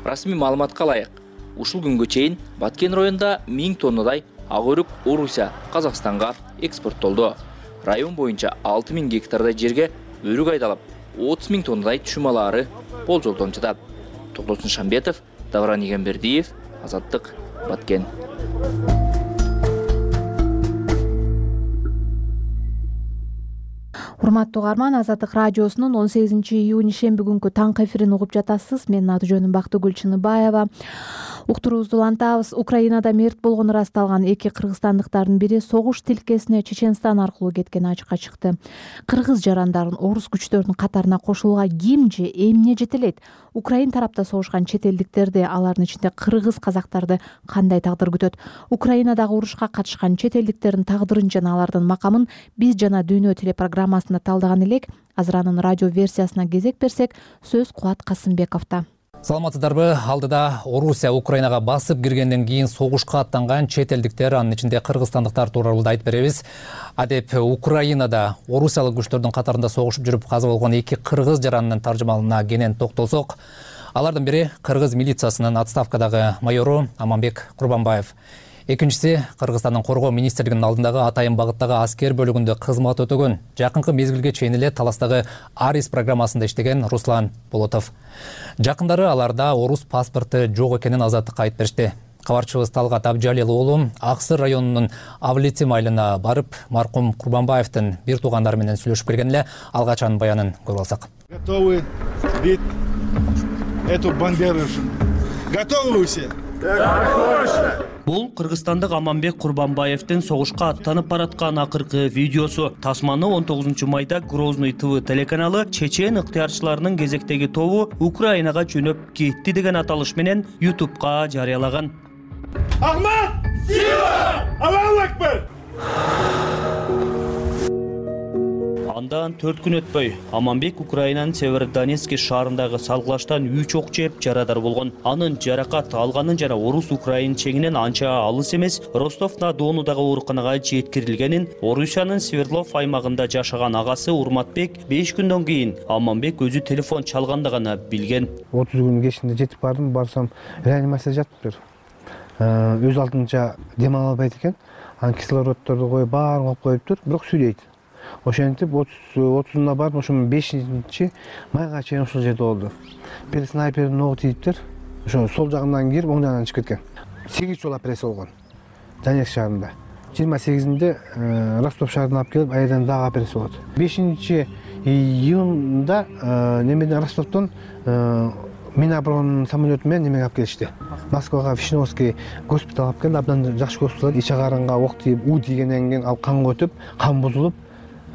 Расмий маалыматка ылайык, ушул күнгө чейин Баткен районунда миң тоннадай ак өрүк Орусия, Казакстанга экспорттолду. Район боюнча алты миң гектардай жерге өрүк айдалып, отуз миң тоннадай түшүм алаары болжолдонуп жатат. Токтосун Шамбетов, Давран Игенбердиев, Азаттык, Баткен. Урматтуу угарман, Азаттык радиосунун он сегизинчи июнь ишемби күнкү таңкы эфирин угуп жатасыз. Менин аты жөнүм Бактыгүл Чыныбаева. Уктуруубузду улантабыз. Украинада мерт болгону ырасталган эки кыргызстандыктардын бири согуш тилкесине Чеченстан аркылуу кеткени ачыкка чыкты. Кыргыз жарандарын орус күчтөрүнүн катарына кошулууга ким же эмне жетелейт? Украин тарапта согушкан чет элдиктерди, алардын ичинде кыргыз казактарды кандай тагдыр күтөт? Украинадагы урушка катышкан чет элдиктердин тагдырын жана алардын макамын биз жана Дүйнө телепрограммасында талдаган элек. Азыр анын радио версиясына кезек берсек, сөз Кубат Касымбековдо. Саламатсыздарбы? Алдыда Орусия Украинага басып киргенден кийин согушка аттанган чет элдиктер, анын ичинде кыргызстандыктар тууралуу айтып беребиз. Адеп Украинада орусиялык күчтөрдүн катарында согушуп жүрүп каза болгон эки кыргыз жаранынын таржымалына кенен токтолсок, алардын бири кыргыз милициясынын отставкадагы майору Аманбек Курбанбаев. Экинчиси, Кыргызстандын коргоо министрлигинин алдындагы Атайын багыттагы аскер бөлүгүндө кызмат өтөгөн, жакынкы мезгилге чейин эле Таластагы Арис программасында иштеген Руслан Болотов. Жакындары аларда орус паспорту жок экенин азаттыкка айтып беришти. Кабарчыбыз Талгат Абжалил уулу Аксыр районунун Авлицим айылына барып, маркум Курбанбаевдин бир туугандары менен сүйлөшүп келген эле. Алгач анын баянын көрүп алсак. Готовы бить эту бандеру? Готовы все? Бул Кыргызстандык Аманбек Курбанбаевдин согушка аттанып бараткан акыркы видеосу. Тасманы он тогузунчу майда Грозный ТВ телеканалы чечен ыктыярчыларынын кезектеги тобу Украинага жөнөп кетти деген аталыш менен ютубка жарыялаган. Ахмат! Сила! Аллаху акбар! Андан төрт күн өтпөй, Аманбек Украинанын Северодонецк шаарындагы салгылаштан үч ок жеп жарадар болгон. Анын жаракат алганын жана орус-украин чегинен анча алыс эмес Ростов-на-Донудагы ооруканага жеткирилгенин Орусиянын Свердлов аймагында жашаган агасы Урматбек беш күндөн кийин Аманбек өзү телефон чалганда гана билген. отуз күн кечинде жетип бардым, барсам реанимацияда жатыптыр. Өз алдынча дем ала албайт экен. Анан кислороддорду коюп, баарын коюп коюптур, бирок сүйлөйт. Ошентип отузуна барып, ошо бешинчи майга чейин ошол жерде болду. Бир снайпердин огу тийиптир. Ошо сол жагынан кирип, оң жагынан чыгып кеткен. сегиз жолу операция болгон. Донецк шаарында. жыйырма сегизинде Ростов шаарына алып келип, айдан дагы операция болот. бешинчи июнда немеден Ростовдон Миноборона самолету менен немеге алып келишти. Москвага Вишневский госпиталга алып келди. Абдан жакшы госпитал. Ич агарынга ок тийип, уу тийгенден кийин ал канга өтүп, кан бузулуп,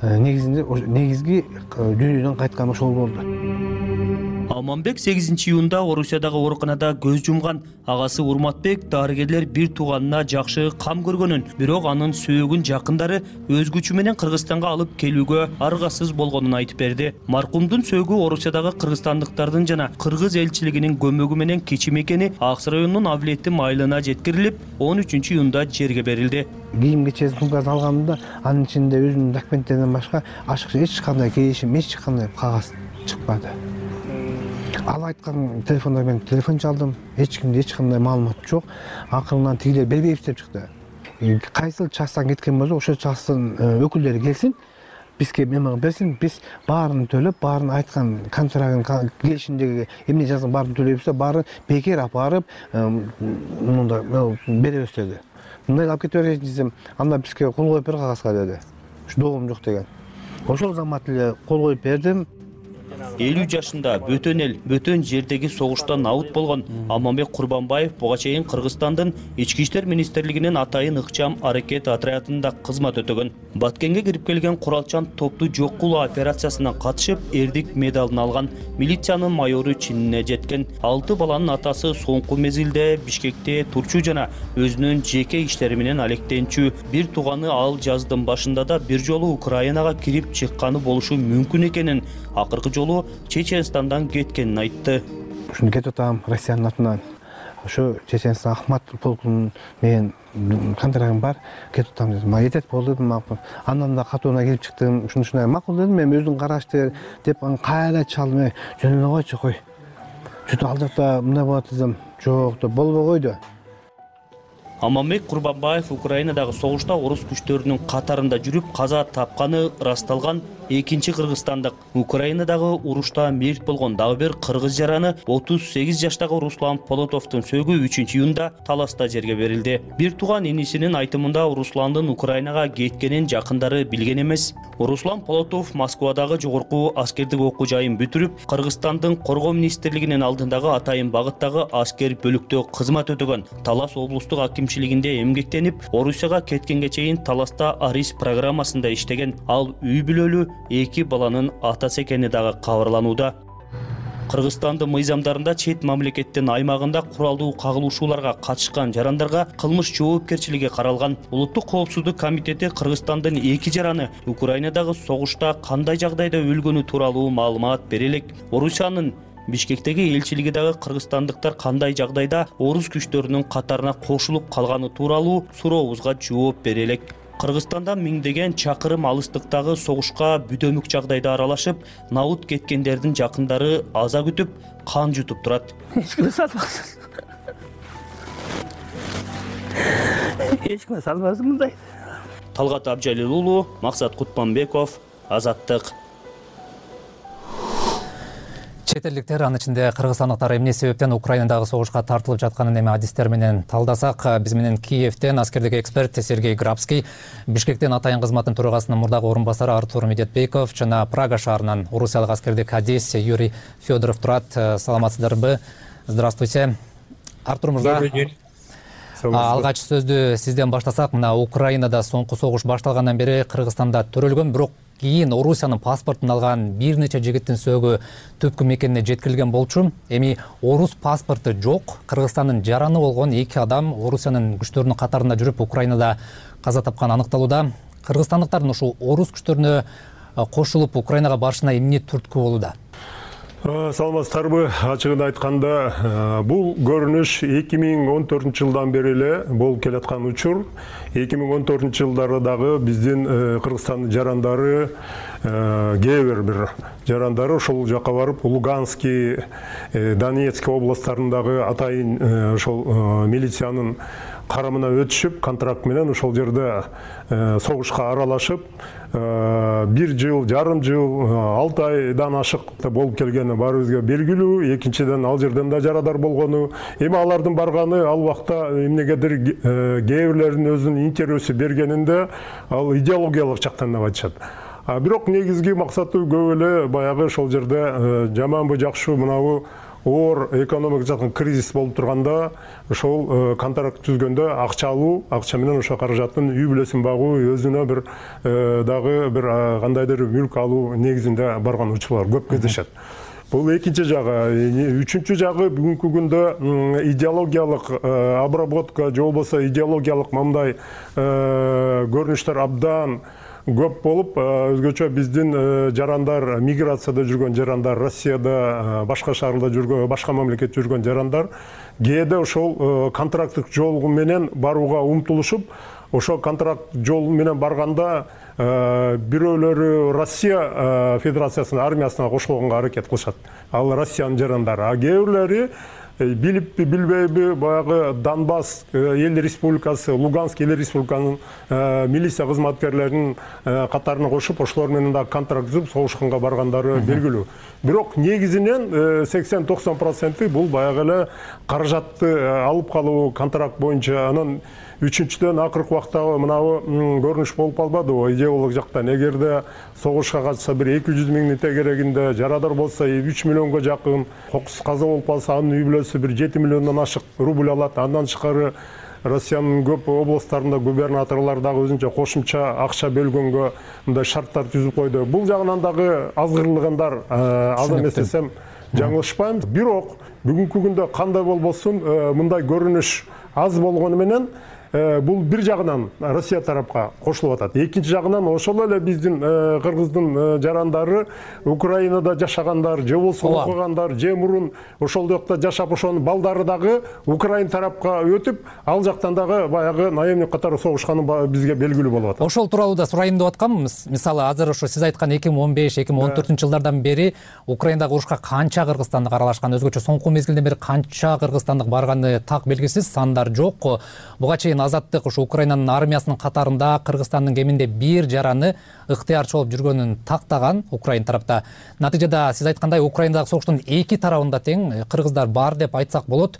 негизинде негизги дүйнөдөн кайткан ошол болду. Аманбек сегизинчи июнда Орусиядагы ооруканада көз жумган. Агасы Урматбек дарыгерлер бир тууганына жакшы кам көргөнүн, бирок анын сөөгүн жакындары өз күчү менен Кыргызстанга алып келүүгө аргасыз болгонун айтып берди. Маркумдун сөөгү Орусиядагы кыргызстандыктардын жана кыргыз элчилигинин көмөгү менен кечим экени Аксыр районунун Авлетим айылына жеткирилип, он үчүнчү июнда жерге берилди. Кийим кечесин сумкасын алгамда, анын ичинде өзүнүн документтеринен башка ашыкча эч кандай келишим, эч кандай кагаз чыкпады. Ал айткан телефондар менен телефон чалдым. Эч кимде эч кандай маалымат жок. Акырынан тигилер бербейбиз деп чыкты. Кайсыл частан кеткен болсо, ошол частын өкүлдөрү келсин, бизге меморандум берсин, биз баарын төлөп, баарын айткан контрагын, келишимдеги эмне жазган баарын төлөйбүз, баарын бекер алып барып, мында беребиз деди. Мындай алып кетип берген десем, анда бизге кол коюп бер кагазга деди. Ушу доогум жок деген. Ошол замат эле кол коюп бердим. элүү жашында бөтөн эл, бөтөн жердеги согуштан аут болгон Аманбек Курбанбаев буга чейин Кыргызстандын Ички иштер министрлигинин Атайын ыкчам аракет отрядында кызмат өтөгөн. Баткенге кирип келген куралчан топту жок кылуу операциясына катышып, эрдик медалын алган. Милициянын майору чинине жеткен. Алты баланын атасы соңку мезгилде Бишкекте турчу жана өзүнүн жеке иштери менен алектенчү. Бир тууганы ал жаздын башында да бир жолу Украинага кирип чыкканы болушу мүмкүн экенин, акыркы жолу Чеченстандан кеткенин айтты. Ушуну кетип атам Россиянын атынан. Ошо Чеченстан Ахмат полкунун менен контрагым бар, кетип атам дедим. Ма жетет болду дедим. Андан да катууна келип чыктым. Ушуну ушундай макул дедим. Мен өзүң карашты деп аны кайра чалдым. Жөн эле койчу кой. Чөтө ал жакта мындай болот десем, жок деп болбой койду. Аманбек Курбанбаев Украинадагы согушта орус күчтөрүнүн катарында жүрүп каза тапканы ырасталган экинчи кыргызстандык. Украинадагы урушта мерт болгон дагы бир кыргыз жараны отуз сегиз жаштагы Руслан Полотовдун сөөгү үчүнчү июнда Таласта жерге берилди. Бир тууган инисинин айтымында Русландын Украинага кеткенин жакындары билген эмес. Руслан Полотов Москвадагы жогорку аскердик окуу жайын бүтүрүп, Кыргызстандын коргоо министрлигинин алдындагы Атайын багыттагы аскер бөлүктө кызмат өтөгөн. Талас облустук акимчилигинде эмгектенип, Орусияга кеткенге чейин Таласта Арис программасында иштеген. Ал үй бүлөлүү эки баланын атасы экени дагы кабарланууда. Кыргызстандын мыйзамдарында чет мамлекеттин аймагында куралдуу кагылышууларга катышкан жарандарга кылмыш жоопкерчилиги каралган. Улуттук коопсуздук комитети Кыргызстандын эки жараны Украинадагы согушта кандай жагдайда өлгөнү тууралуу маалымат бере элек. Орусиянын Бишкектеги элчилиги дагы кыргызстандыктар кандай жагдайда орус күчтөрүнүн катарына кошулуп калганы тууралуу сурообузга жооп бере элек. Кыргызстандан миңдеген чакырым алыстыктагы согушка бүдөмүк жагдайда аралашып, наут кеткендердин жакындары аза күтүп, кан жутуп турат. Эч ким сатпаксыз. эч ким салбасын мындай. Талгат Абжалил уулу, Максат Кутманбеков, Азаттык. Чет элдиктер, анын ичинде кыргызстандыктар эмне себептен Украинадагы согушка тартылып жатканын эми адистер менен талдасак, биз менен Киевден аскердик эксперт Сергей Грабский, Бишкектен атайын кызматтын төрагасынын мурдагы орун басары Артур Медетбеков жана Прага шаарынан орусиялык аскердик адис Юрий Федоров турат. Саламатсыздарбы? Здравствуйте. Артур мырза. Алгач сөздү сизден баштасак, мына Украинада соңку согуш башталгандан бери Кыргызстанда төрөлгөн, бирок кийин Орусиянын паспортун алган бир нече жигиттин сөөгү түпкү мекенине жеткирилген болчу. Эми орус паспорту жок, Кыргызстандын жараны болгон эки адам Орусиянын күчтөрүнүн катарында жүрүп Украинада каза тапканы аныкталууда. Кыргызстандыктардын ушул орус күчтөрүнө кошулуп Украинага барышына эмне түрткү болууда? Саламатсыздарбы? Ачыгын айтканда, бул көрүнүш эки миң он төртүнчү жылдан бери эле болуп келаткан учур. эки миң он төртүнчү жылдары дагы биздин Кыргызстандын жарандары, кээ бир бир жарандары ошол жака барып, Луганский, Донецк областтарындагы атайын ошол милициянын карамына өтүшүп, контракт менен ошол жерде согушка аралашып, бир жыл, жарым жыл, алты айдан ашык болуп келгени баарыбызга белгилүү. Экинчиден, ал жерден да жарадар болгону. Эми алардын барганы ал убакта эмнегедир кээ бирлеринин өзүнүн интереси бергенинде ал идеологиялык жактан деп айтышат. А бирок негизги максаты көп эле баягы ошол жерде жаманбы жакшы мынабу оор экономик жактан кризис болуп турганда ошол контракт түзгөндө акча алуу, акча менен ошо каражаттын үй бүлөсүн багуу, өзүнө бир дагы бир кандайдыр мүлк алуу негизинде барган учурлар көп кездешет. Бул экинчи жагы. Үчүнчү жагы бүгүнкү күндө идеологиялык обработка же болбосо идеологиялык мындай көрүнүштөр абдан көп болуп, өзгөчө биздин жарандар, миграцияда жүргөн жарандар, Россияда, башка шаарда жүргөн, башка мамлекетте жүргөн жарандар кээде ошол контракттык жол менен барууга умтулушуп, ошол контракт жол менен барганда бирөөлөрү Россия Федерациясынын армиясына кошулганга аракет кылышат. Ал Россиянын жарандары. А кээ бирлери билиппи, билбейби, баягы Донбасс эл республикасы, Луганск эл республиканын милиция кызматкерлеринин катарына кошуп, ошолор менен да контракт түзүп, согушканга баргандары белгилүү. Бирок негизинен сексен токсон проценти бул баягы эле каражатты алып калуу контракт боюнча. Анан үчүнчүдөн акыркы убакта мынабу көрүнүш болуп калбадыбы идеологиялык жактан? Эгерде согушка катышса бир эки жүз миңдин тегерегинде, жарадар болсо үч миллионго жакын, кокус каза болуп калса анын үй бүлөсү бир жети миллиондон ашык рубль алат. Андан тышкары Россиянын көп областтарында губернаторлор дагы өзүнчө кошумча акча бөлгөнгө мындай шарттар түзүп койду. Бул жагынан дагы азгырылгандар, аз эмес десем жаңылышпайм. Бирок бүгүнкү күндө кандай болбосун мындай көрүнүш аз болгону менен бул бир жагынан Россия тарапка кошулуп атат. Экинчи жагынан ошол эле биздин кыргыздын жарандары Украинада жашагандар, же болбосо окугандар, же мурун ошол жакта жашап ошонун балдары дагы Украин тарапка өтүп, ал жактан дагы баягы наемник катары согушканы бизге белгилүү болуп атат. Ошол тууралуу да сурайын деп аткам. Мисалы, азыр ошо сиз айткан эки миң он беш эки миң он төртүнчү жылдардан бери Украинадагы урушка канча кыргызстандык аралашкан, өзгөчө соңку мезгилден бери канча кыргызстандык барганы так белгисиз, сандар жок. Буга чейин Азаттык ушу Украинанын армиясынын катарында Кыргызстандын кеминде бир жараны ыктыярчы болуп жүргөнүн тактаган Украин тарапта. Натыйжада сиз айткандай Украинадагы согуштун эки тарабында тең кыргыздар бар деп айтсак болот.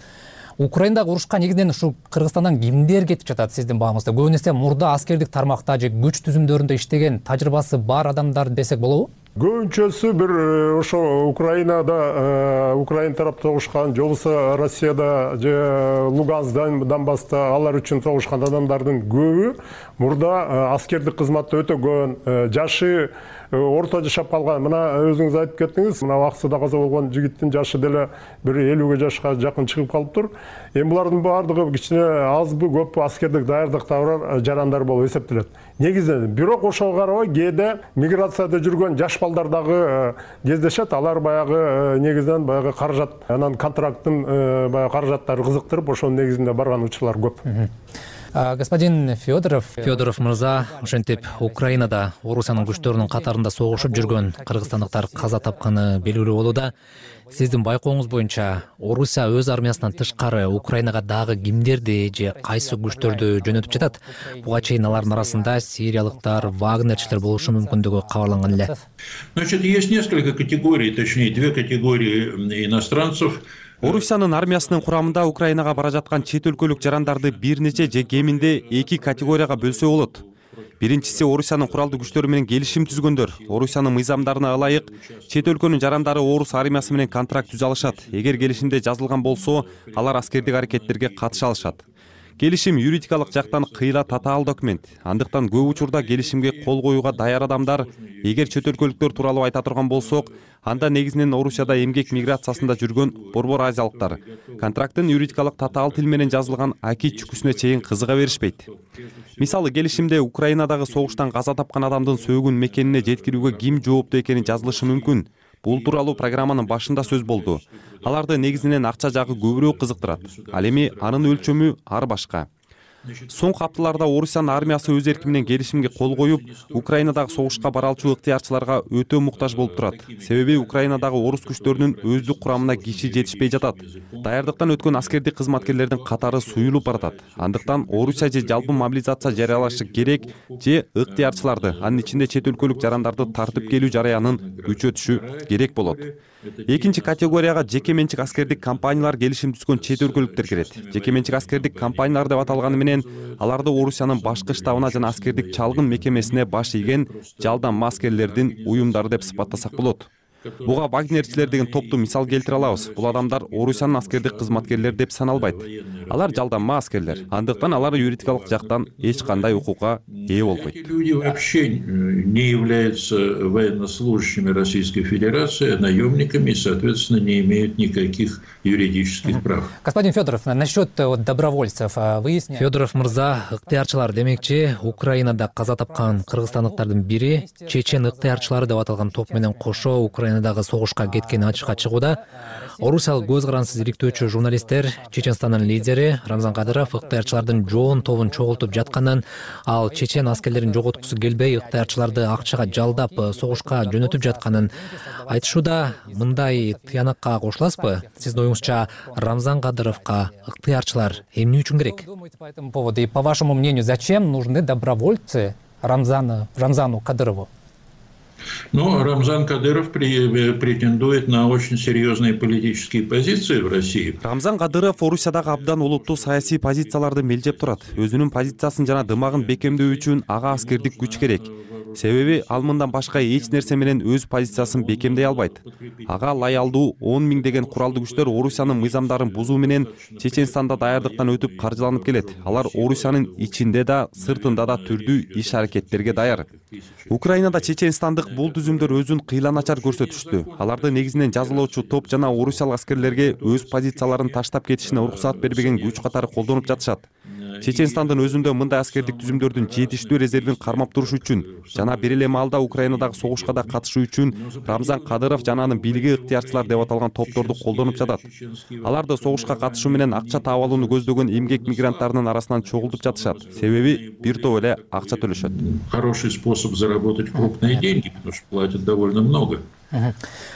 Украинадагы урушка негизинен ушу Кыргызстандан кимдер кетип жатат сиздин баамыңызда? Көбүнесе мурда аскердик тармакта же күч түзүмдөрүндө иштеген, тажрыйбасы бар адамдар десек болобу? Көбүнчөсү бир ошо Украинада, Украин тарапта согушкан, же болбосо Россияда же Луганскдан, Донбасста алар үчүн согушкан адамдардын көбү мурда аскердик кызматты өтөгөн, жашы орто жашап калган. Мына өзүңүз айтып кеттиңиз, мына Аксуда каза болгон жигиттин жашы деле бир элүүгө жашка жакын чыгып калыптыр. Эми булардын баардыгы кичине азбы көппү аскердик даярдыкта бар жарандар болуп эсептелет. Негизинен, бирок ошого карабай кээде миграцияда жүргөн жаш балдар дагы кездешет. Алар баягы негизинен баягы каражат, анан контракттын баягы каражаттары кызыктырып, ошонун негизинде барган учурлар көп. Господин Федоров Федоров мырза, ошентип Украинада Орусиянын күчтөрүнүн катарында согушуп жүргөн кыргызстандыктар каза тапканы белгилүү болууда. Сиздин байкооңуз боюнча Орусия өз армиясынан тышкары Украинага дагы кимдерди же кайсы күчтөрдү жөнөтүп жатат? Буга чейин алардын арасында сириялыктар, вагнерчилер болушу мүмкүндүгү кабарланган эле. Значит, есть несколько категорий, точнее, две категории иностранцев. Орусиянын армиясынын курамында Украинага бара жаткан чет өлкөлүк жарандарды бир нече же кеминде эки категорияга бөлсө болот. Биринчиси Орусиянын куралдуу күчтөрү менен келишим түзгөндөр. Орусиянын мыйзамдарына ылайык чет өлкөнүн жарандары орус армиясы менен контракт түзө алышат. Эгер келишимде жазылган болсо, алар аскердик аракеттерге катыша алышат. Келишим юридикалык жактан кыйла татаал документ. Андыктан көп учурда келишимге кол коюуга даяр адамдар, эгер чет өлкөлүктөр тууралуу айта турган болсок, анда негизинен Орусияда эмгек миграциясында жүргөн борбор азиялыктар. Контракттын юридикалык татаал тил менен жазылган аки чүкүсүнө чейин кызыга беришпейт. Мисалы, келишимде Украинадагы согуштан каза тапкан адамдын сөөгүн мекенине жеткирүүгө ким жооптуу экени жазылышы мүмкүн. Бул тууралуу программанын башында сөз болду. Аларды негизинен акча жагы көбүрөөк кызыктырат. Ал эми анын өлчөмү ар башка. Соңку апталарда Орусиянын армиясы өз эрки менен келишимге кол коюп, Украинадагы согушка бара алчу ыктыярчыларга өтө муктаж болуп турат. Себеби Украинадагы орус күчтөрүнүн өздүк курамына киши жетишпей жатат. Даярдыктан өткөн аскердик кызматкерлердин катары суюлуп баратат. Андыктан Орусия же жалпы мобилизация жарыялашы керек же ыктыярчыларды, анын ичинде чет өлкөлүк жарандарды тартып келүү жараянын күчөтүшү керек болот. Экинчи категорияга жеке менчик аскердик компаниялар келишим түзгөн чет өлкөлүктөр кирет. Жеке менчик аскердик компаниялар деп аталганы менен аларды Орусиянын башкы штабына жана аскердик чалгын мекемесине баш ийген жалдам аскерлердин уюмдары деп сыпаттасак болот. Буга вагнерчилер деген топту мисал келтире алабыз. Бул адамдар Орусиянын аскердик кызматкерлери деп саналбайт. Алар жалданма аскерлер. Андыктан алар юридикалык жактан эч кандай укукка ээ болбойт. Люди вообще не являются военнослужащими Российской Федерации, наемниками и, соответственно, не имеют никаких юридических прав. Господин Федоров, насчет добровольцев выясняем. Федоров мырза, ыктыярчылар демекчи, Украинада каза тапкан кыргызстандыктардын бири чечен ыктыярчылары деп аталган топ менен кошо Украинадагы согушка кеткени ачыкка чыгууда. Орусиялык көз карансыз иликтөөчү журналисттер Чеченстандын лидери Рамзан Кадыров ыктыярчылардын жоон тобун чогултуп жатканын, ал чечен аскерлерин жоготкусу келбей ыктыярчыларды акчага жалдап согушка жөнөтүп жатканын айтышууда. Мындай тыянакка кошуласызбы? Сиздин оюңузча Рамзан Кадыровго ыктыярчылар эмне үчүн керек? По этому поводу и по вашему мнению, зачем нужны добровольцы Рамзану Рамзану Кадырову? Но Рамзан Кадыров претендует на очень серьезные политические позиции в России. Рамзан Кадыров Орусиядагы абдан олуттуу саясий позицияларды мелжеп турат. Өзүнүн позициясын жана дымагын бекемдөө үчүн ага аскердик күч керек. Себеби ал мындан башка эч нерсе менен өз позициясын бекемдей албайт. Ага лаялдуу он миң деген куралдуу күчтөр Орусиянын мыйзамдарын бузуу менен Чеченстанда даярдыктан өтүп каржыланып келет. Алар Орусиянын ичинде да, сыртында да түрдүү иш аракеттерге даяр. Украинада чеченстандык бул түзүмдөр өзүн кыйла начар көрсөтүштү. Аларды негизинен жазалоочу топ жана орусиялык аскерлерге өз позицияларын таштап кетишине уруксаат бербеген күч катары колдонуп жатышат. Чеченстандын өзүндө мындай аскердик түзүмдөрдүн жетиштүү резервин кармап туруш үчүн жана бир эле маалда Украинадагы согушка да катышуу үчүн Рамзан Кадыров жана анын бийлиги ыктыярчылар деп аталган топторду колдонуп жатат. Аларды согушка катышуу менен акча таап алууну көздөгөн эмгек мигранттарынын арасынан чогултуп жатышат. Себеби бир топ эле акча төлөшөт. Хороший способ заработать крупные деньги, потому что платят довольно много.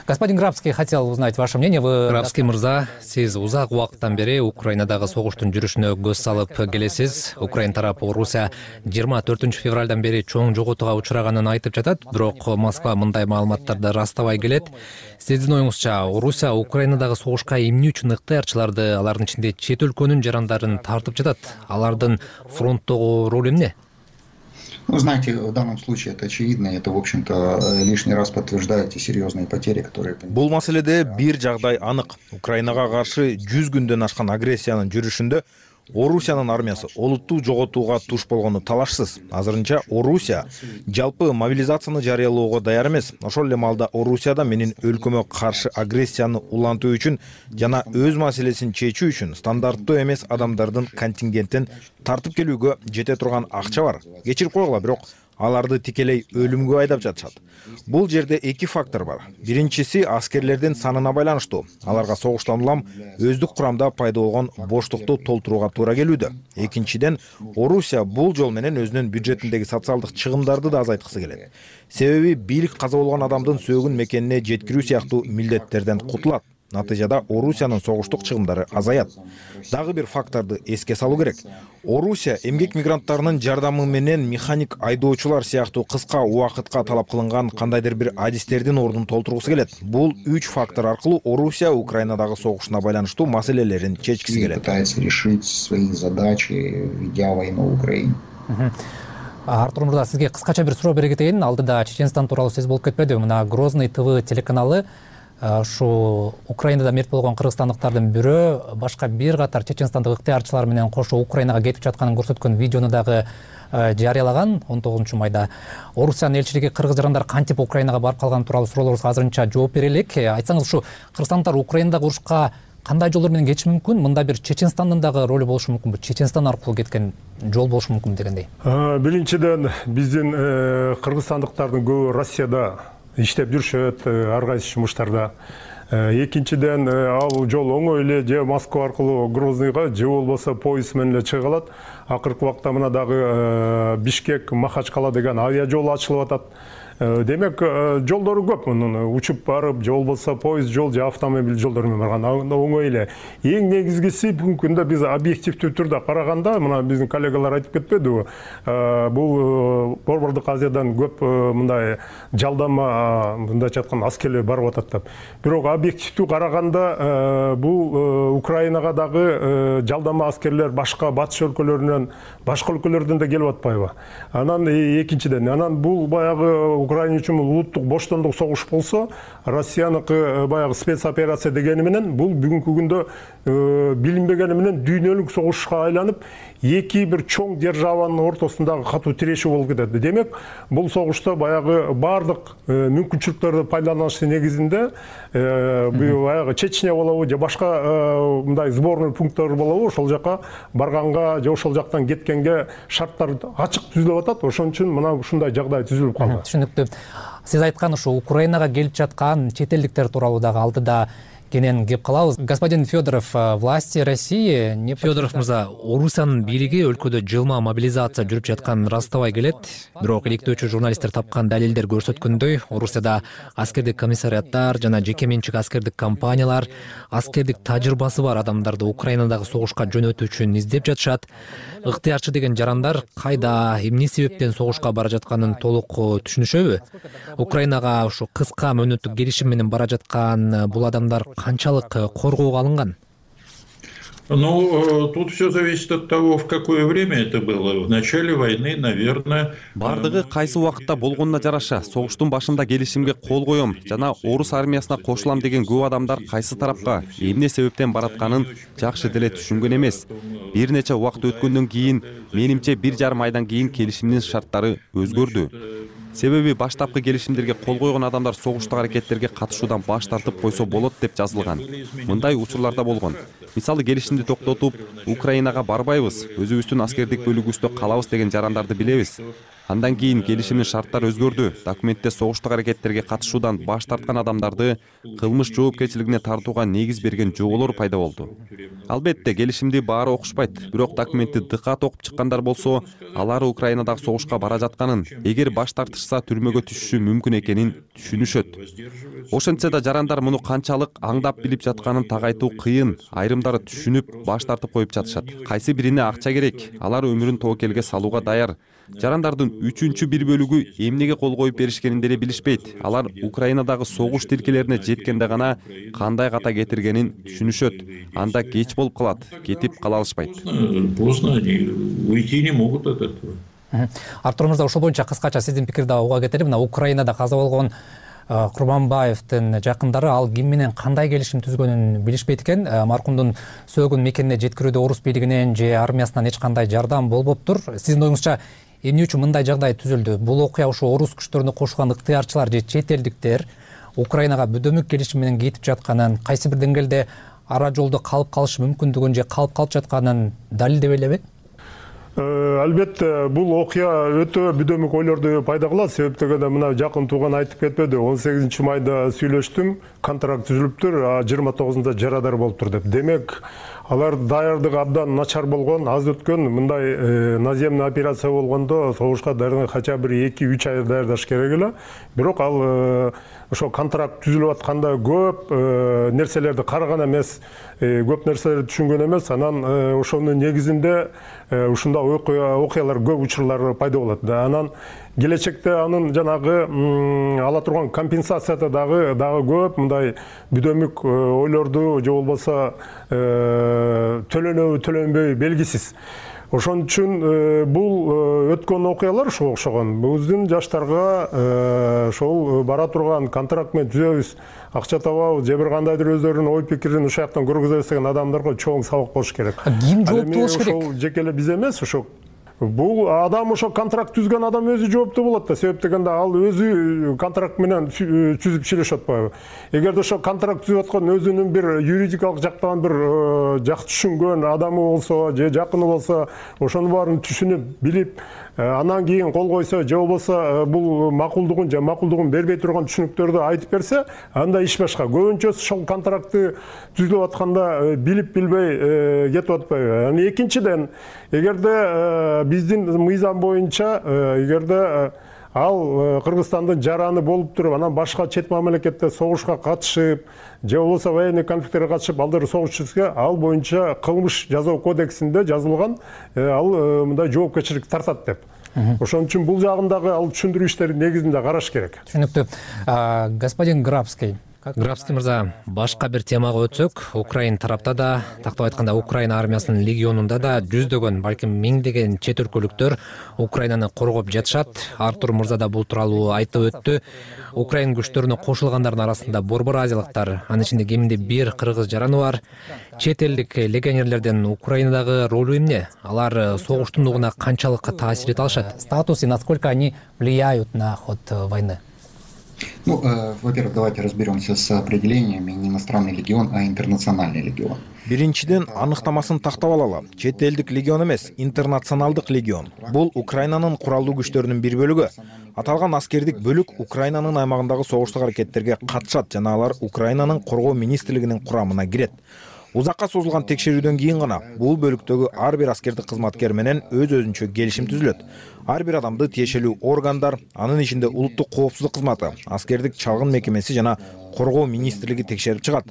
Господин Грабский хотел узнать ваше мнение. Вы... Грабский мырза, сиз узак убакыттан бери Украинадагы согуштун жүрүшүнө көз салып келесиз. Украин тарапы Орусия жыйырма төртүнчү февралдан бери чоң жоготууга учураганын айтып жатат, бирок Москва мындай маалыматтарды растабай келет. Сиздин оюңузча, Орусия Украинадагы согушка эмне үчүн ыктыярчыларды, алардын ичинде чет өлкөнүн жарандарын тартып жатат? Алардын фронттогу ролу эмне? Ну, знаете, в данном случае это очевидно, это, в общем-то, лишний раз подтверждает те серьезные потери, которые... Бул маселеде бир жагдай анык. Украинага каршы жүз күндөн ашкан агрессиянын жүрүшүндө Орусиянын армиясы олуттуу жоготууга туш болгону талашсыз. Азырынча Орусия жалпы мобилизацияны жарыялоого даяр эмес. Ошол эле маалда Орусияда менин өлкөмө каршы агрессияны улантуу үчүн жана өз маселесин чечүү үчүн стандарттуу эмес адамдардын контингентин тартып келүүгө жете турган акча бар. Кечирип койгула, бирок аларды тикелей өлүмгө айдап жатышат. Бул жерде эки фактор бар. Биринчиси аскерлердин санына байланыштуу. Аларга согуштан улам өздүк курамда пайда болгон боштукту толтурууга туура келүүдө. Экинчиден, Орусия бул жол менен өзүнүн бюджетиндеги социалдык чыгымдарды да азайткысы келет. Себеби бийлик каза болгон адамдын сөөгүн мекенине жеткирүү сыяктуу милдеттерден кутулат. Натыйжада Орусиянын согуштук чыгымдары азаят. Дагы бир факторду эске салуу керек. Орусия эмгек мигранттарынын жардамы менен механик айдоочулар сыяктуу кыска убакытка талап кылынган кандайдыр бир адистердин ордун толтургусу келет. Бул үч фактор аркылуу Орусия Украинадагы согушуна байланыштуу маселелерин чечкиси келет. Пытается решить свои задачи, ведя войну в Украине. Артур Мырза, сизге кыскача бир суроо бере кетейин. Алдыда Чеченстан тууралуу сөз болуп кетпедиби? Мына Грозный ТВ телеканалы ушу Украинада мерт болгон кыргызстандыктардын бирөө башка бир катар чеченстандык ыктыярчылар менен кошо Украинага кетип жатканын көрсөткөн видеону дагы жарыялаган он тогузунчу майда. Орусиянын элчилиги кыргыз жарандар кантип Украинага барып калганы тууралуу суроолорубузга азырынча жооп бере элек. Айтсаңыз, ушу кыргызстандыктар Украинадагы урушка кандай жолдор менен кетиши мүмкүн? Мында бир Чеченстандын дагы ролу болушу мүмкүнбү? Чеченстан аркылуу кеткен жол болушу мүмкүнбү дегендей. Биринчиден, биздин кыргызстандыктардын көбү Россияда иштеп жүрүшөт, ар кайсы жумуштарда. Экинчиден, ал жол оңой эле же Москва аркылуу Грозныйга, же болбосо поезд менен эле чыга алат. Акыркы убакта мына дагы Бишкек, Махачкала деген авиа жол ачылып атат. Демек, жолдору көп. Учуп барып, же болбосо поезд жол, же автомобиль жолдору менен барган оңой эле. Эң негизгиси бүгүнкү күндө биз объективдүү түрдө караганда, мына биздин коллегалар айтып кетпедиби? Бул Борбордук Азиядан көп мындай жалдама, мындайча айтканда аскерлер барып атат деп. Бирок объективдүү караганда бул Украинага дагы жалдама аскерлер башка батыш өлкөлөрүнөн, башка өлкөлөрдөн да келип атпайбы? Анан экинчиден, анан бул баягы Украина үчүн улуттук боштондук согуш болсо, Россияныкы баягы спецоперация дегени менен бул бүгүнкү күндө билинбегени менен дүйнөлүк согушка айланып, эки бир чоң державанын ортосундагы катуу тирешүү болуп кетет. Демек, бул согушта баягы бардык мүмкүнчүлүктөрдү пайдаланыштын негизинде баягы Чечня болобу же башка мындай сборный пункттар болобу, ошол жака барганга же ошол жактан кеткенге шарттар ачык түзүлүп атат. Ошон үчүн мына ушундай жагдай түзүлүп калды. Түшүнүктүү. Сиз айткан ушу Украинага келип жаткан чет элдиктер тууралуу дагы алдыда кенен кеп калабыз. Господин Федоров, власти России не... Федоров мырза, Орусиянын бийлиги өлкөдө жылма мобилизация жүрүп жатканын ырастабай келет. Бирок иликтөөчү журналисттер тапкан далилдер көрсөткөндөй, Орусияда аскердик комиссариаттар жана жеке менчик аскердик компаниялар аскердик тажрыйбасы бар адамдарды Украинадагы согушка жөнөтүү үчүн издеп жатышат. Ыктыярчы деген жарандар кайда, эмне себептен согушка бара жатканын толук түшүнүшөбү? Украинага ушу кыска мөөнөттүк келишим менен бара жаткан бул адамдар канчалык коргоого алынган? Ну, тут все зависит от того, в какое время это было. В начале войны, наверное... Бардыгы кайсы убакытта болгонуна жараша, согуштун башында келишимге кол коем жана орус армиясына кошулам деген көп адамдар кайсы тарапка, эмне себептен баратканын жакшы деле түшүнгөн эмес. Бир нече убакыт өткөндөн кийин, менимче бир жарым айдан кийин келишимдин шарттары өзгөрдү. Себеби баштапкы келишимдерге кол койгон адамдар согуштук аракеттерге катышуудан баш тартып койсо болот деп жазылган. Мындай учурларда болгон. Мисалы, келишимди токтотуп, Украинага барбайбыз, өзүбүздүн аскердик бөлүгүбүздө калабыз деген жарандарды билебиз. Андан кийин келишимдин шарттары өзгөрдү. Документте согуштук аракеттерге катышуудан баш тарткан адамдарды кылмыш жоопкерчилигине тартууга негиз берген жоболор пайда болду. Албетте, келишимди баары окушпайт, бирок документти дыкат окуп чыккандар болсо, алар Украинадагы согушка бара жатканын, эгер баш тартышса түрмөгө түшүшү мүмкүн экенин түшүнүшөт. Ошентсе да жарандар муну канчалык аңдап билип жатканын тагайтуу кыйын. Айрымдары түшүнүп, баш тартып коюп жатышат. Кайсы бирине акча керек, алар өмүрүн тобокелге салууга даяр. Жарандардын үчүнчү бир бөлүгү эмнеге кол коюп беришкенин деле билишпейт. Алар Украинадагы согуш тилкелерине жеткенде гана кандай ката кетиргенин түшүнүшөт. Анда кеч болуп калат, кетип кала алышпайт. Поздно они уйти не могут от этого. Артур мырза, ошол боюнча кыскача сиздин пикирди уга кетели. Мына Украинада каза болгон Курманбаевдин жакындары ал ким менен кандай келишим түзгөнүн билишпейт экен. Маркумдун сөөгүн мекенине жеткирүүдө орус бийлигинен же армиясынан эч кандай жардам болбоптур. Сиздин оюңузча эмне үчүн мындай жагдай түзүлдү? Бул окуя ушу орус күчтөрүнө кошулган ыктыярчылар же чет элдиктер Украинага бүдөмүк келишим менен кетип жатканын, кайсы бир деңгээлде ара жолдо калып калышы мүмкүндүгүн же калып калып жатканын далилдеп элеби? Албетте бул окуя өтө бүдөмүк ойлорду пайда кылат. Себеп дегенде мына жакын тууган айтып кетпеди. он сегизинчи майда сүйлөштүм, контракт түзүлүптүр, а жыйырма тогузунда жарадар болуптур деп. Демек, алар даярдыгы абдан начар болгон, аз өткөн. Мындай наземный операция болгондо согушка даярдыгы кача бир эки үч ай даярдаш керек эле. Бирок ал ошо контракт түзүлүп атканда көп нерселерди караган эмес, көп нерселерди түшүнгөн эмес. Анан ошонун негизинде ушундай окуялар көп учурлар пайда болот. Анан келечекте анын жанагы ала турган компенсацияда дагы дагы көп мындай бүдөмүк ойлорду же болбосо төлөнөбү төлөнбөйбү белгисиз. Ошон үчүн бул өткөн окуялар ошого окшогон. Биздин жаштарга ошол бара турган контракт менен түзөбүз, акча табабыз, же бир кандайдыр өздөрүнүн ой пикирин ошол жактан көргөзөбүз деген адамдарга чоң сабак болуш керек. Ким жооптуу болуш керек? Ошол жеке эле биз эмес, ошо бул адам ошо контракт түзгөн адам өзү жооптуу болот да. Себеп дегенде ал өзү контракт менен түзүп чыгышып атпайбы. Эгерде ошо контракт түзүп аткан өзүнүн бир юридикалык жактан бир жакшы түшүнгөн адамы болсо, же жакыны болсо, ошонун баарын түшүнүп, билип, анан кийин кол койсо, же болбосо бул макулдугун же макулдугун бербей турган түшүнүктөрдү айтып берсе, анда иш башка. Көбүнчөсү ошол контрактты түзүлүп атканда билип билбей кетип атпайбы. Анан экинчиден, эгерде биздин мыйзам боюнча, эгерде ал Кыргызстандын жараны болуп туруп, анан башка чет мамлекетте согушка катышып, же болбосо военный конфликттерге катышып, алдар согуш түзгө, ал боюнча кылмыш жазуу кодексинде жазылган, ал мындай жоопкерчилик тартат деп. Ошон үчүн бул жагындагы ал түшүндүрүү иштерин негизинде караш керек. Түшүнүктүү. Господин Грабский. Грабский мырза, башка бир темага өтсөк, Украин тарапта да, тактап айтканда Украина армиясынын легионунда да жүздөгөн, балким миңдеген чет өлкөлүктөр Украинаны коргоп жатышат. Артур мырза да бул тууралуу айтып өттү. Украин күчтөрүнө кошулгандардын арасында борбор азиялыктар, анын ичинде кеминде бир кыргыз жараны бар. Чет элдик легионерлердин Украинадагы ролу эмне? Алар согуштун нугуна канчалык таасир эте алышат? Статус и насколько они влияют на ход войны? Ну, э, во-первых, давайте разберемся с определениями. Не иностранный легион, а интернациональный легион. Биринчиден аныктамасын тактап алалы. Чет элдик легион эмес, интернационалдык легион. Бул Украинанын куралдуу күчтөрүнүн бир бөлүгү. Аталган аскердик бөлүк Украинанын аймагындагы согуштук аракеттерге катышат жана алар Украинанын коргоо министрлигинин курамына кирет. Узакка созулган текшерүүдөн кийин гана бул бөлүктөгү ар бир аскердик кызматкер менен өз өзүнчө келишим түзүлөт. Ар бир адамды тиешелүү органдар, анын ичинде улуттук коопсуздук кызматы, аскердик чалгын мекемеси жана коргоо министрлиги текшерип чыгат.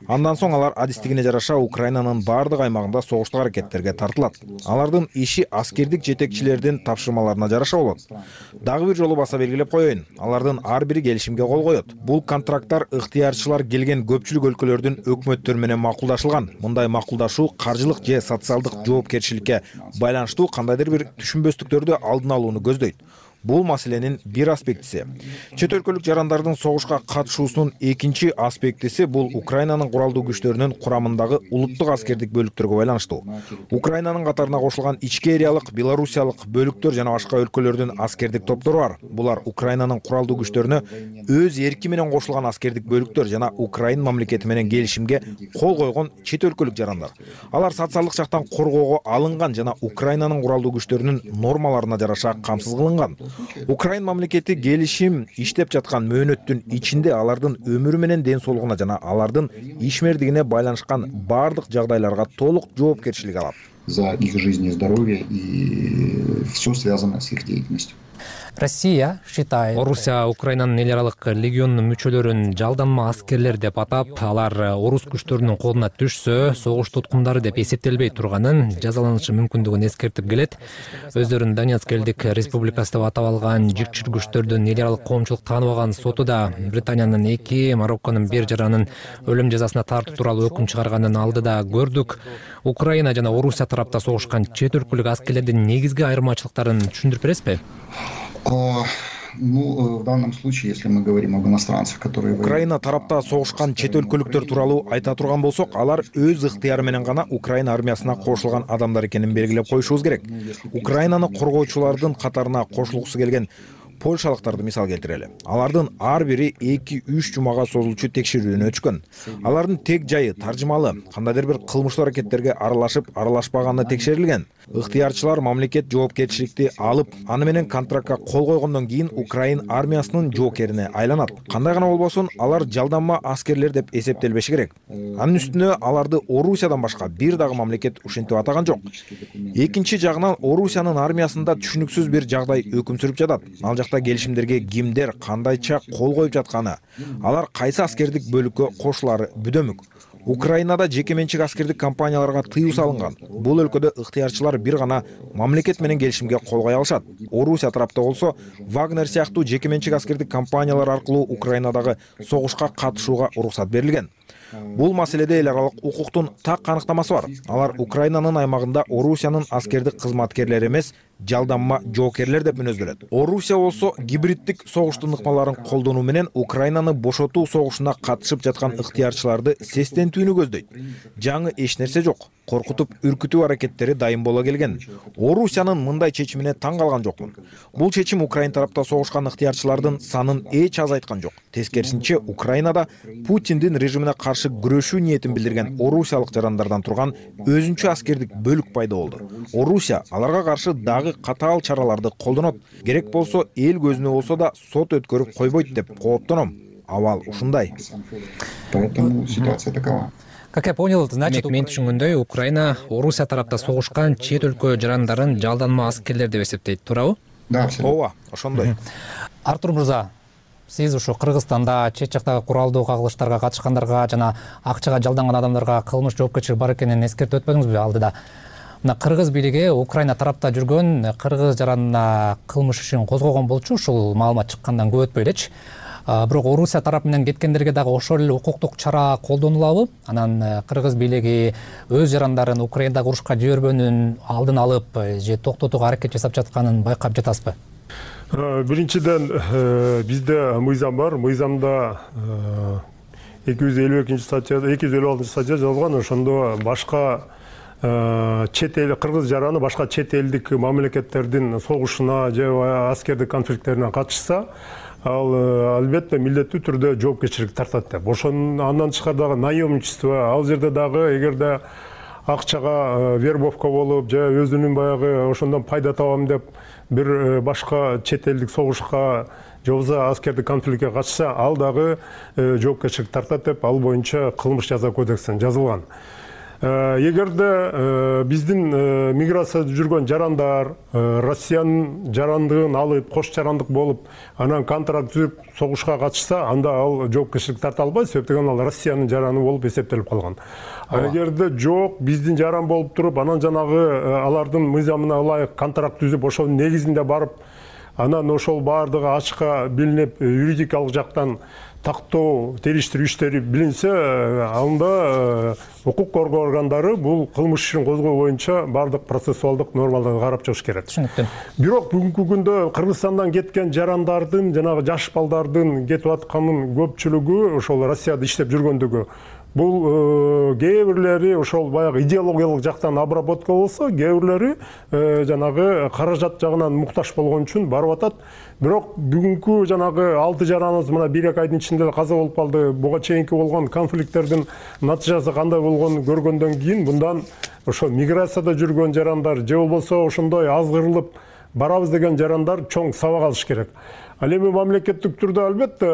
Андан соң алар адистигине жараша Украинанын бардык аймагында согуштук аракеттерге тартылат. Алардын иши аскердик жетекчилердин тапшырмаларына жараша болот. Дагы бир жолу баса белгилеп коеюн, алардын ар бири келишимге кол коет. Бул контракттар ыктыярчылар келген көпчүлүк өлкөлөрдүн өкмөттөрү менен макулдашылган. Мындай макулдашуу каржылык же социалдык жоопкерчиликке байланыштуу кандайдыр бир түшүнбөстүктөрдү алдын алууну көздөйт. Бул маселенин бир аспектиси. Чет өлкөлүк жарандардын согушка катышуусунун экинчи аспектиси бул Украинанын куралдуу күчтөрүнүн курамындагы улуттук аскердик бөлүктөргө байланыштуу. Украинанын катарына кошулган ичкериялык, белорусиялык бөлүктөр жана башка өлкөлөрдүн аскердик топтору бар. Булар Украинанын куралдуу күчтөрүнө өз эрки менен кошулган аскердик бөлүктөр жана Украин мамлекети менен келишимге кол койгон чет өлкөлүк жарандар. Алар социалдык жактан коргоого алынган жана Украинанын куралдуу күчтөрүнүн нормаларына жараша камсыз кылынган. Украин мамлекети келишим иштеп жаткан мөөнөттүн ичинде алардын өмүрү менен ден соолугуна жана алардын ишмердигине байланышкан бардык жагдайларга толук жоопкерчилик алат. За их жизнь и здоровье и все связано с их деятельностью. Россия считает... Орусия Украинанын эл аралык легионунун мүчөлөрүн жалданма аскерлер деп атап, алар орус күчтөрүнүн колуна түшсө, согуш туткундары деп эсептелбей турганын, жазаланышы мүмкүндүгүн эскертип келет. Өздөрүн Донецк элдик республикасы деп атап алган жикчил күчтөрдүн эл аралык коомчулук тааныбаган соту да Британиянын эки, Марокконун бир жаранын өлүм жазасына тартуу тууралуу өкүм чыгарганын алдыда көрдүк. Украина жана Орусия тарапта согушкан чет өлкөлүк аскерлердин негизги айырмачылыктарын түшүндүрүп бересизби? Ну, в данном случае, если мы говорим об иностранцах, которые... Украина тарапта согушкан чет өлкөлүктөр тууралуу айта турган болсок, алар өз ыктыяры менен гана Украина армиясына кошулган адамдар экенин белгилеп коюшубуз керек. Украинаны коргоочулардын катарына кошулгусу келген польшалыктарды мисал келтирели. Алардын ар бири эки үч жумага созулчу текшерүүдөн өтүшкөн. Алардын тек жайы таржымалы, кандайдыр бир кылмыштуу аракеттерге аралашып, аралашпаганы текшерилген. ыктыярчылар мамлекет жоопкерчиликти алып, аны менен контрактка кол койгондон кийин Украин армиясынын жоокерине айланат. Кандай гана болбосун, алар жалданма аскерлер деп эсептелбеши керек. Анын үстүнө аларды Орусиядан башка бир дагы мамлекет ушинтип атаган жок. Экинчи жагынан Орусиянын армиясында түшүнүксүз бир жагдай өкүм сүрүп жатат. Ал жакта келишимдерге кимдер кандайча кол коюп жатканы, алар кайсы аскердик бөлүккө кошулары бүдөмүк. Украинада жеке менчик аскердик компанияларга тыюу салынган. Бул өлкөдө ыктыярчылар бир гана мамлекет менен келишимге кол кое алышат. Орусия тарапта болсо Вагнер сыяктуу жеке менчик аскердик компаниялар аркылуу Украинадагы согушка катышууга уруксат берилген. Бул маселеде эл аралык укуктун так аныктамасы бар. Алар Украинанын аймагында Орусиянын аскердик кызматкерлери эмес, жалданма жоокерлер деп мүнөздөлөт. Орусия болсо гибриддик согуштун ыкмаларын колдонуу менен Украинаны бошотуу согушуна катышып жаткан ыктыярчыларды сестентүүнү көздөйт. Жаңы эч нерсе жок. Коркутуп, үркүтүү аракеттери дайым боло келген. Орусиянын мындай чечимине таң калган жокмун. Бул чечим Украин тарапта согушкан ыктыярчылардын санын эч азайткан жок. Тескерисинче, Украинада Путиндин режимине каршы күрөшүү ниетин билдирген орусиялык жарандардан турган өзүнчө аскердик бөлүк пайда болду. Орусия аларга каршы дагы катаал чараларды колдонот. Керек болсо эл көзүнө болсо да сот өткөрүп койбойт деп кооптоном. Абал ушундай. Поэтому ситуация такова. Как я понял, значит, мен түшүнгөндөй, Украина Орусия тарапта согушкан чет өлкө жарандарын жалданма аскерлер деп эсептейт, туурабы? Да, ооба, ошондой. Артур мырза, сиз ушу Кыргызстанда чет жактагы куралдуу кагылыштарга катышкандарга жана акчага жалданган адамдарга кылмыш жоопкерчилиги бар экенин эскертип өтпөдүңүзбү алдыда? Мына кыргыз бийлиги Украина тарапта жүргөн кыргыз жаранына кылмыш ишин козгогон болчу, ушул маалымат чыккандан көп өтпөй элечи. Бирок Орусия тарап менен кеткендерге дагы ошол эле укуктук чара колдонулабы? Анан кыргыз бийлиги өз жарандарын Украинадагы урушка жибербөөнүн алдын алып же токтотууга аракет жасап жатканын байкап жатасызбы? Биринчиден бизде мыйзам бар. Мыйзамда эки жүз элүү экинчи статьяда, эки жүз элүү алтынчы статья жазылган. Ошондо башка чет эл кыргыз жараны башка чет элдик мамлекеттердин согушуна же аскердик конфликттерине катышса, ал албетте милдеттүү түрдө жоопкерчилик тартат деп. Ошон андан тышкары дагы наемничество, ал жерде дагы эгерде акчага вербовка болуп же өзүнүн баягы ошондон пайда табам деп бир башка чет элдик согушка же болбосо аскердик конфликтке катышса, ал дагы жоопкерчилик тартат деп ал боюнча кылмыш жаза кодексинде жазылган. Эгерде биздин миграцияда жүргөн жарандар Россиянын жарандыгын алып, кош жарандык болуп, анан контракт түзүп согушка катышса, анда ал жоопкерчилик тарта албайт, себептен ал Россиянын жараны болуп эсептелип калган. Эгерде жок, биздин жаран болуп туруп, анан жанагы алардын мыйзамына ылайык контракт түзүп, ошонун негизинде барып, анан ошол баардыгы ачыкка билинип, юридикалык жактан тактоо, териштирүү иштери билинсе, анда укук коргоо органдары бул кылмыш ишин козгоо боюнча баардык процессуалдык нормаларды карап чыгыш керек. Түшүнүктүү. Бирок бүгүнкү күндө Кыргызстандан кеткен жарандардын, жанагы жаш балдардын кетип атканын көпчүлүгү ошол Россияда иштеп жүргөндүгү. Бул кээ бирлери ошол баягы идеологиялык жактан обработка болсо, кээ бирлери жанагы каражат жагынан муктаж болгон үчүн барып атат. Бирок бүгүнкү жанагы алты жараныбыз мына бир эки айдын ичинде каза болуп калды. Буга чейинки болгон конфликттердин натыйжасы кандай болгонун көргөндөн кийин мындан ошо миграцияда жүргөн жарандар же болбосо ошондой азгырылып барабыз деген жарандар чоң сабак алыш керек. Ал эми мамлекеттик түрдө албетте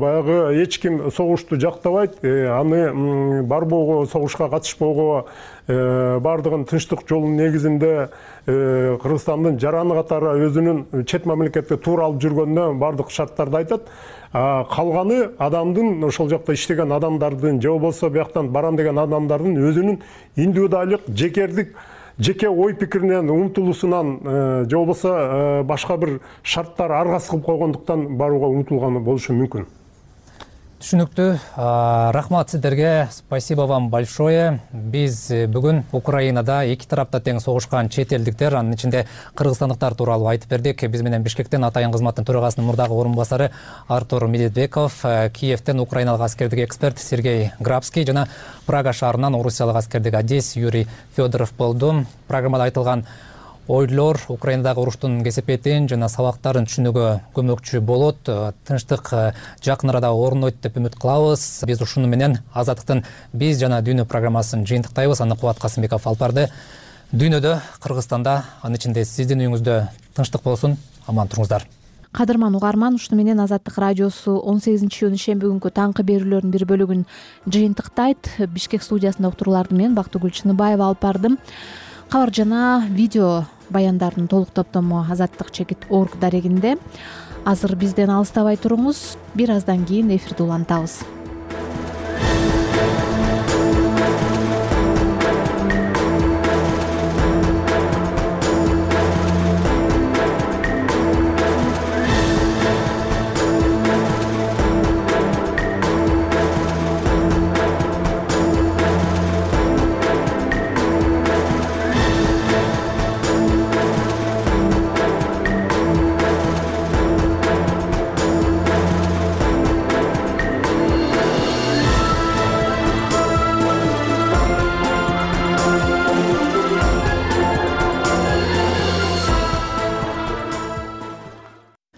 баягы эч ким согушту жактабайт, аны барбоого, согушка катышпоого, баардыгын тынчтык жолунун негизинде Кыргызстандын жараны катары өзүнүн чет мамлекетке туура алып жүргөнүнө баардык шарттарды айтат. Калганы адамдын ошол жакта иштеген адамдардын же болбосо бияктан барам деген адамдардын өзүнүн индивидуалдык, жекердик жеке ой пикиринен, умтулуусунан же болбосо башка бир шарттар аргасы кылып койгондуктан барууга умтулган болушу мүмкүн. Түшүнүктүү. Рахмат сиздерге. Спасибо вам большое. Биз бүгүн Украинада эки тарапта тең согушкан чет элдиктер, анын ичинде кыргызстандыктар тууралуу айтып бердик. Биз менен Бишкектен Атайын кызматтын төрагасынын мурдагы орун басары Артур Медетбеков, Киевтен украиналык аскердик эксперт Сергей Грабский жана Прага шаарынан орусиялык аскердик адис Юрий Федоров болду. Программада айтылган ойлор Украинадагы уруштун кесепетин жана сабактарын түшүнүүгө көмөкчү болот. Тынчтык жакын арада орнойт деп үмүт кылабыз. Биз ушуну менен Азаттыктын Биз жана Дүйнө программасын жыйынтыктайбыз. Аны Кубат Касымбеков алып барды. Дүйнөдө, Кыргызстанда, анын ичинде сиздин үйүңүздө тынчтык болсун, аман туруңуздар. Кадырман угарман, ушуну менен Азаттык радиосу он сегизинчи июнь ишемби күнкү таңкы берүүлөрдүн бир бөлүгүн жыйынтыктайт. Бишкек студиясында уктурууларды мен Бактыгүл Чыныбаева алып бардым. Кабар жана видео баяндардын толук топтому азаттык чекит орг дарегинде. Азыр бизден алыстабай туруңуз. Бир аздан кийин эфирди улантабыз.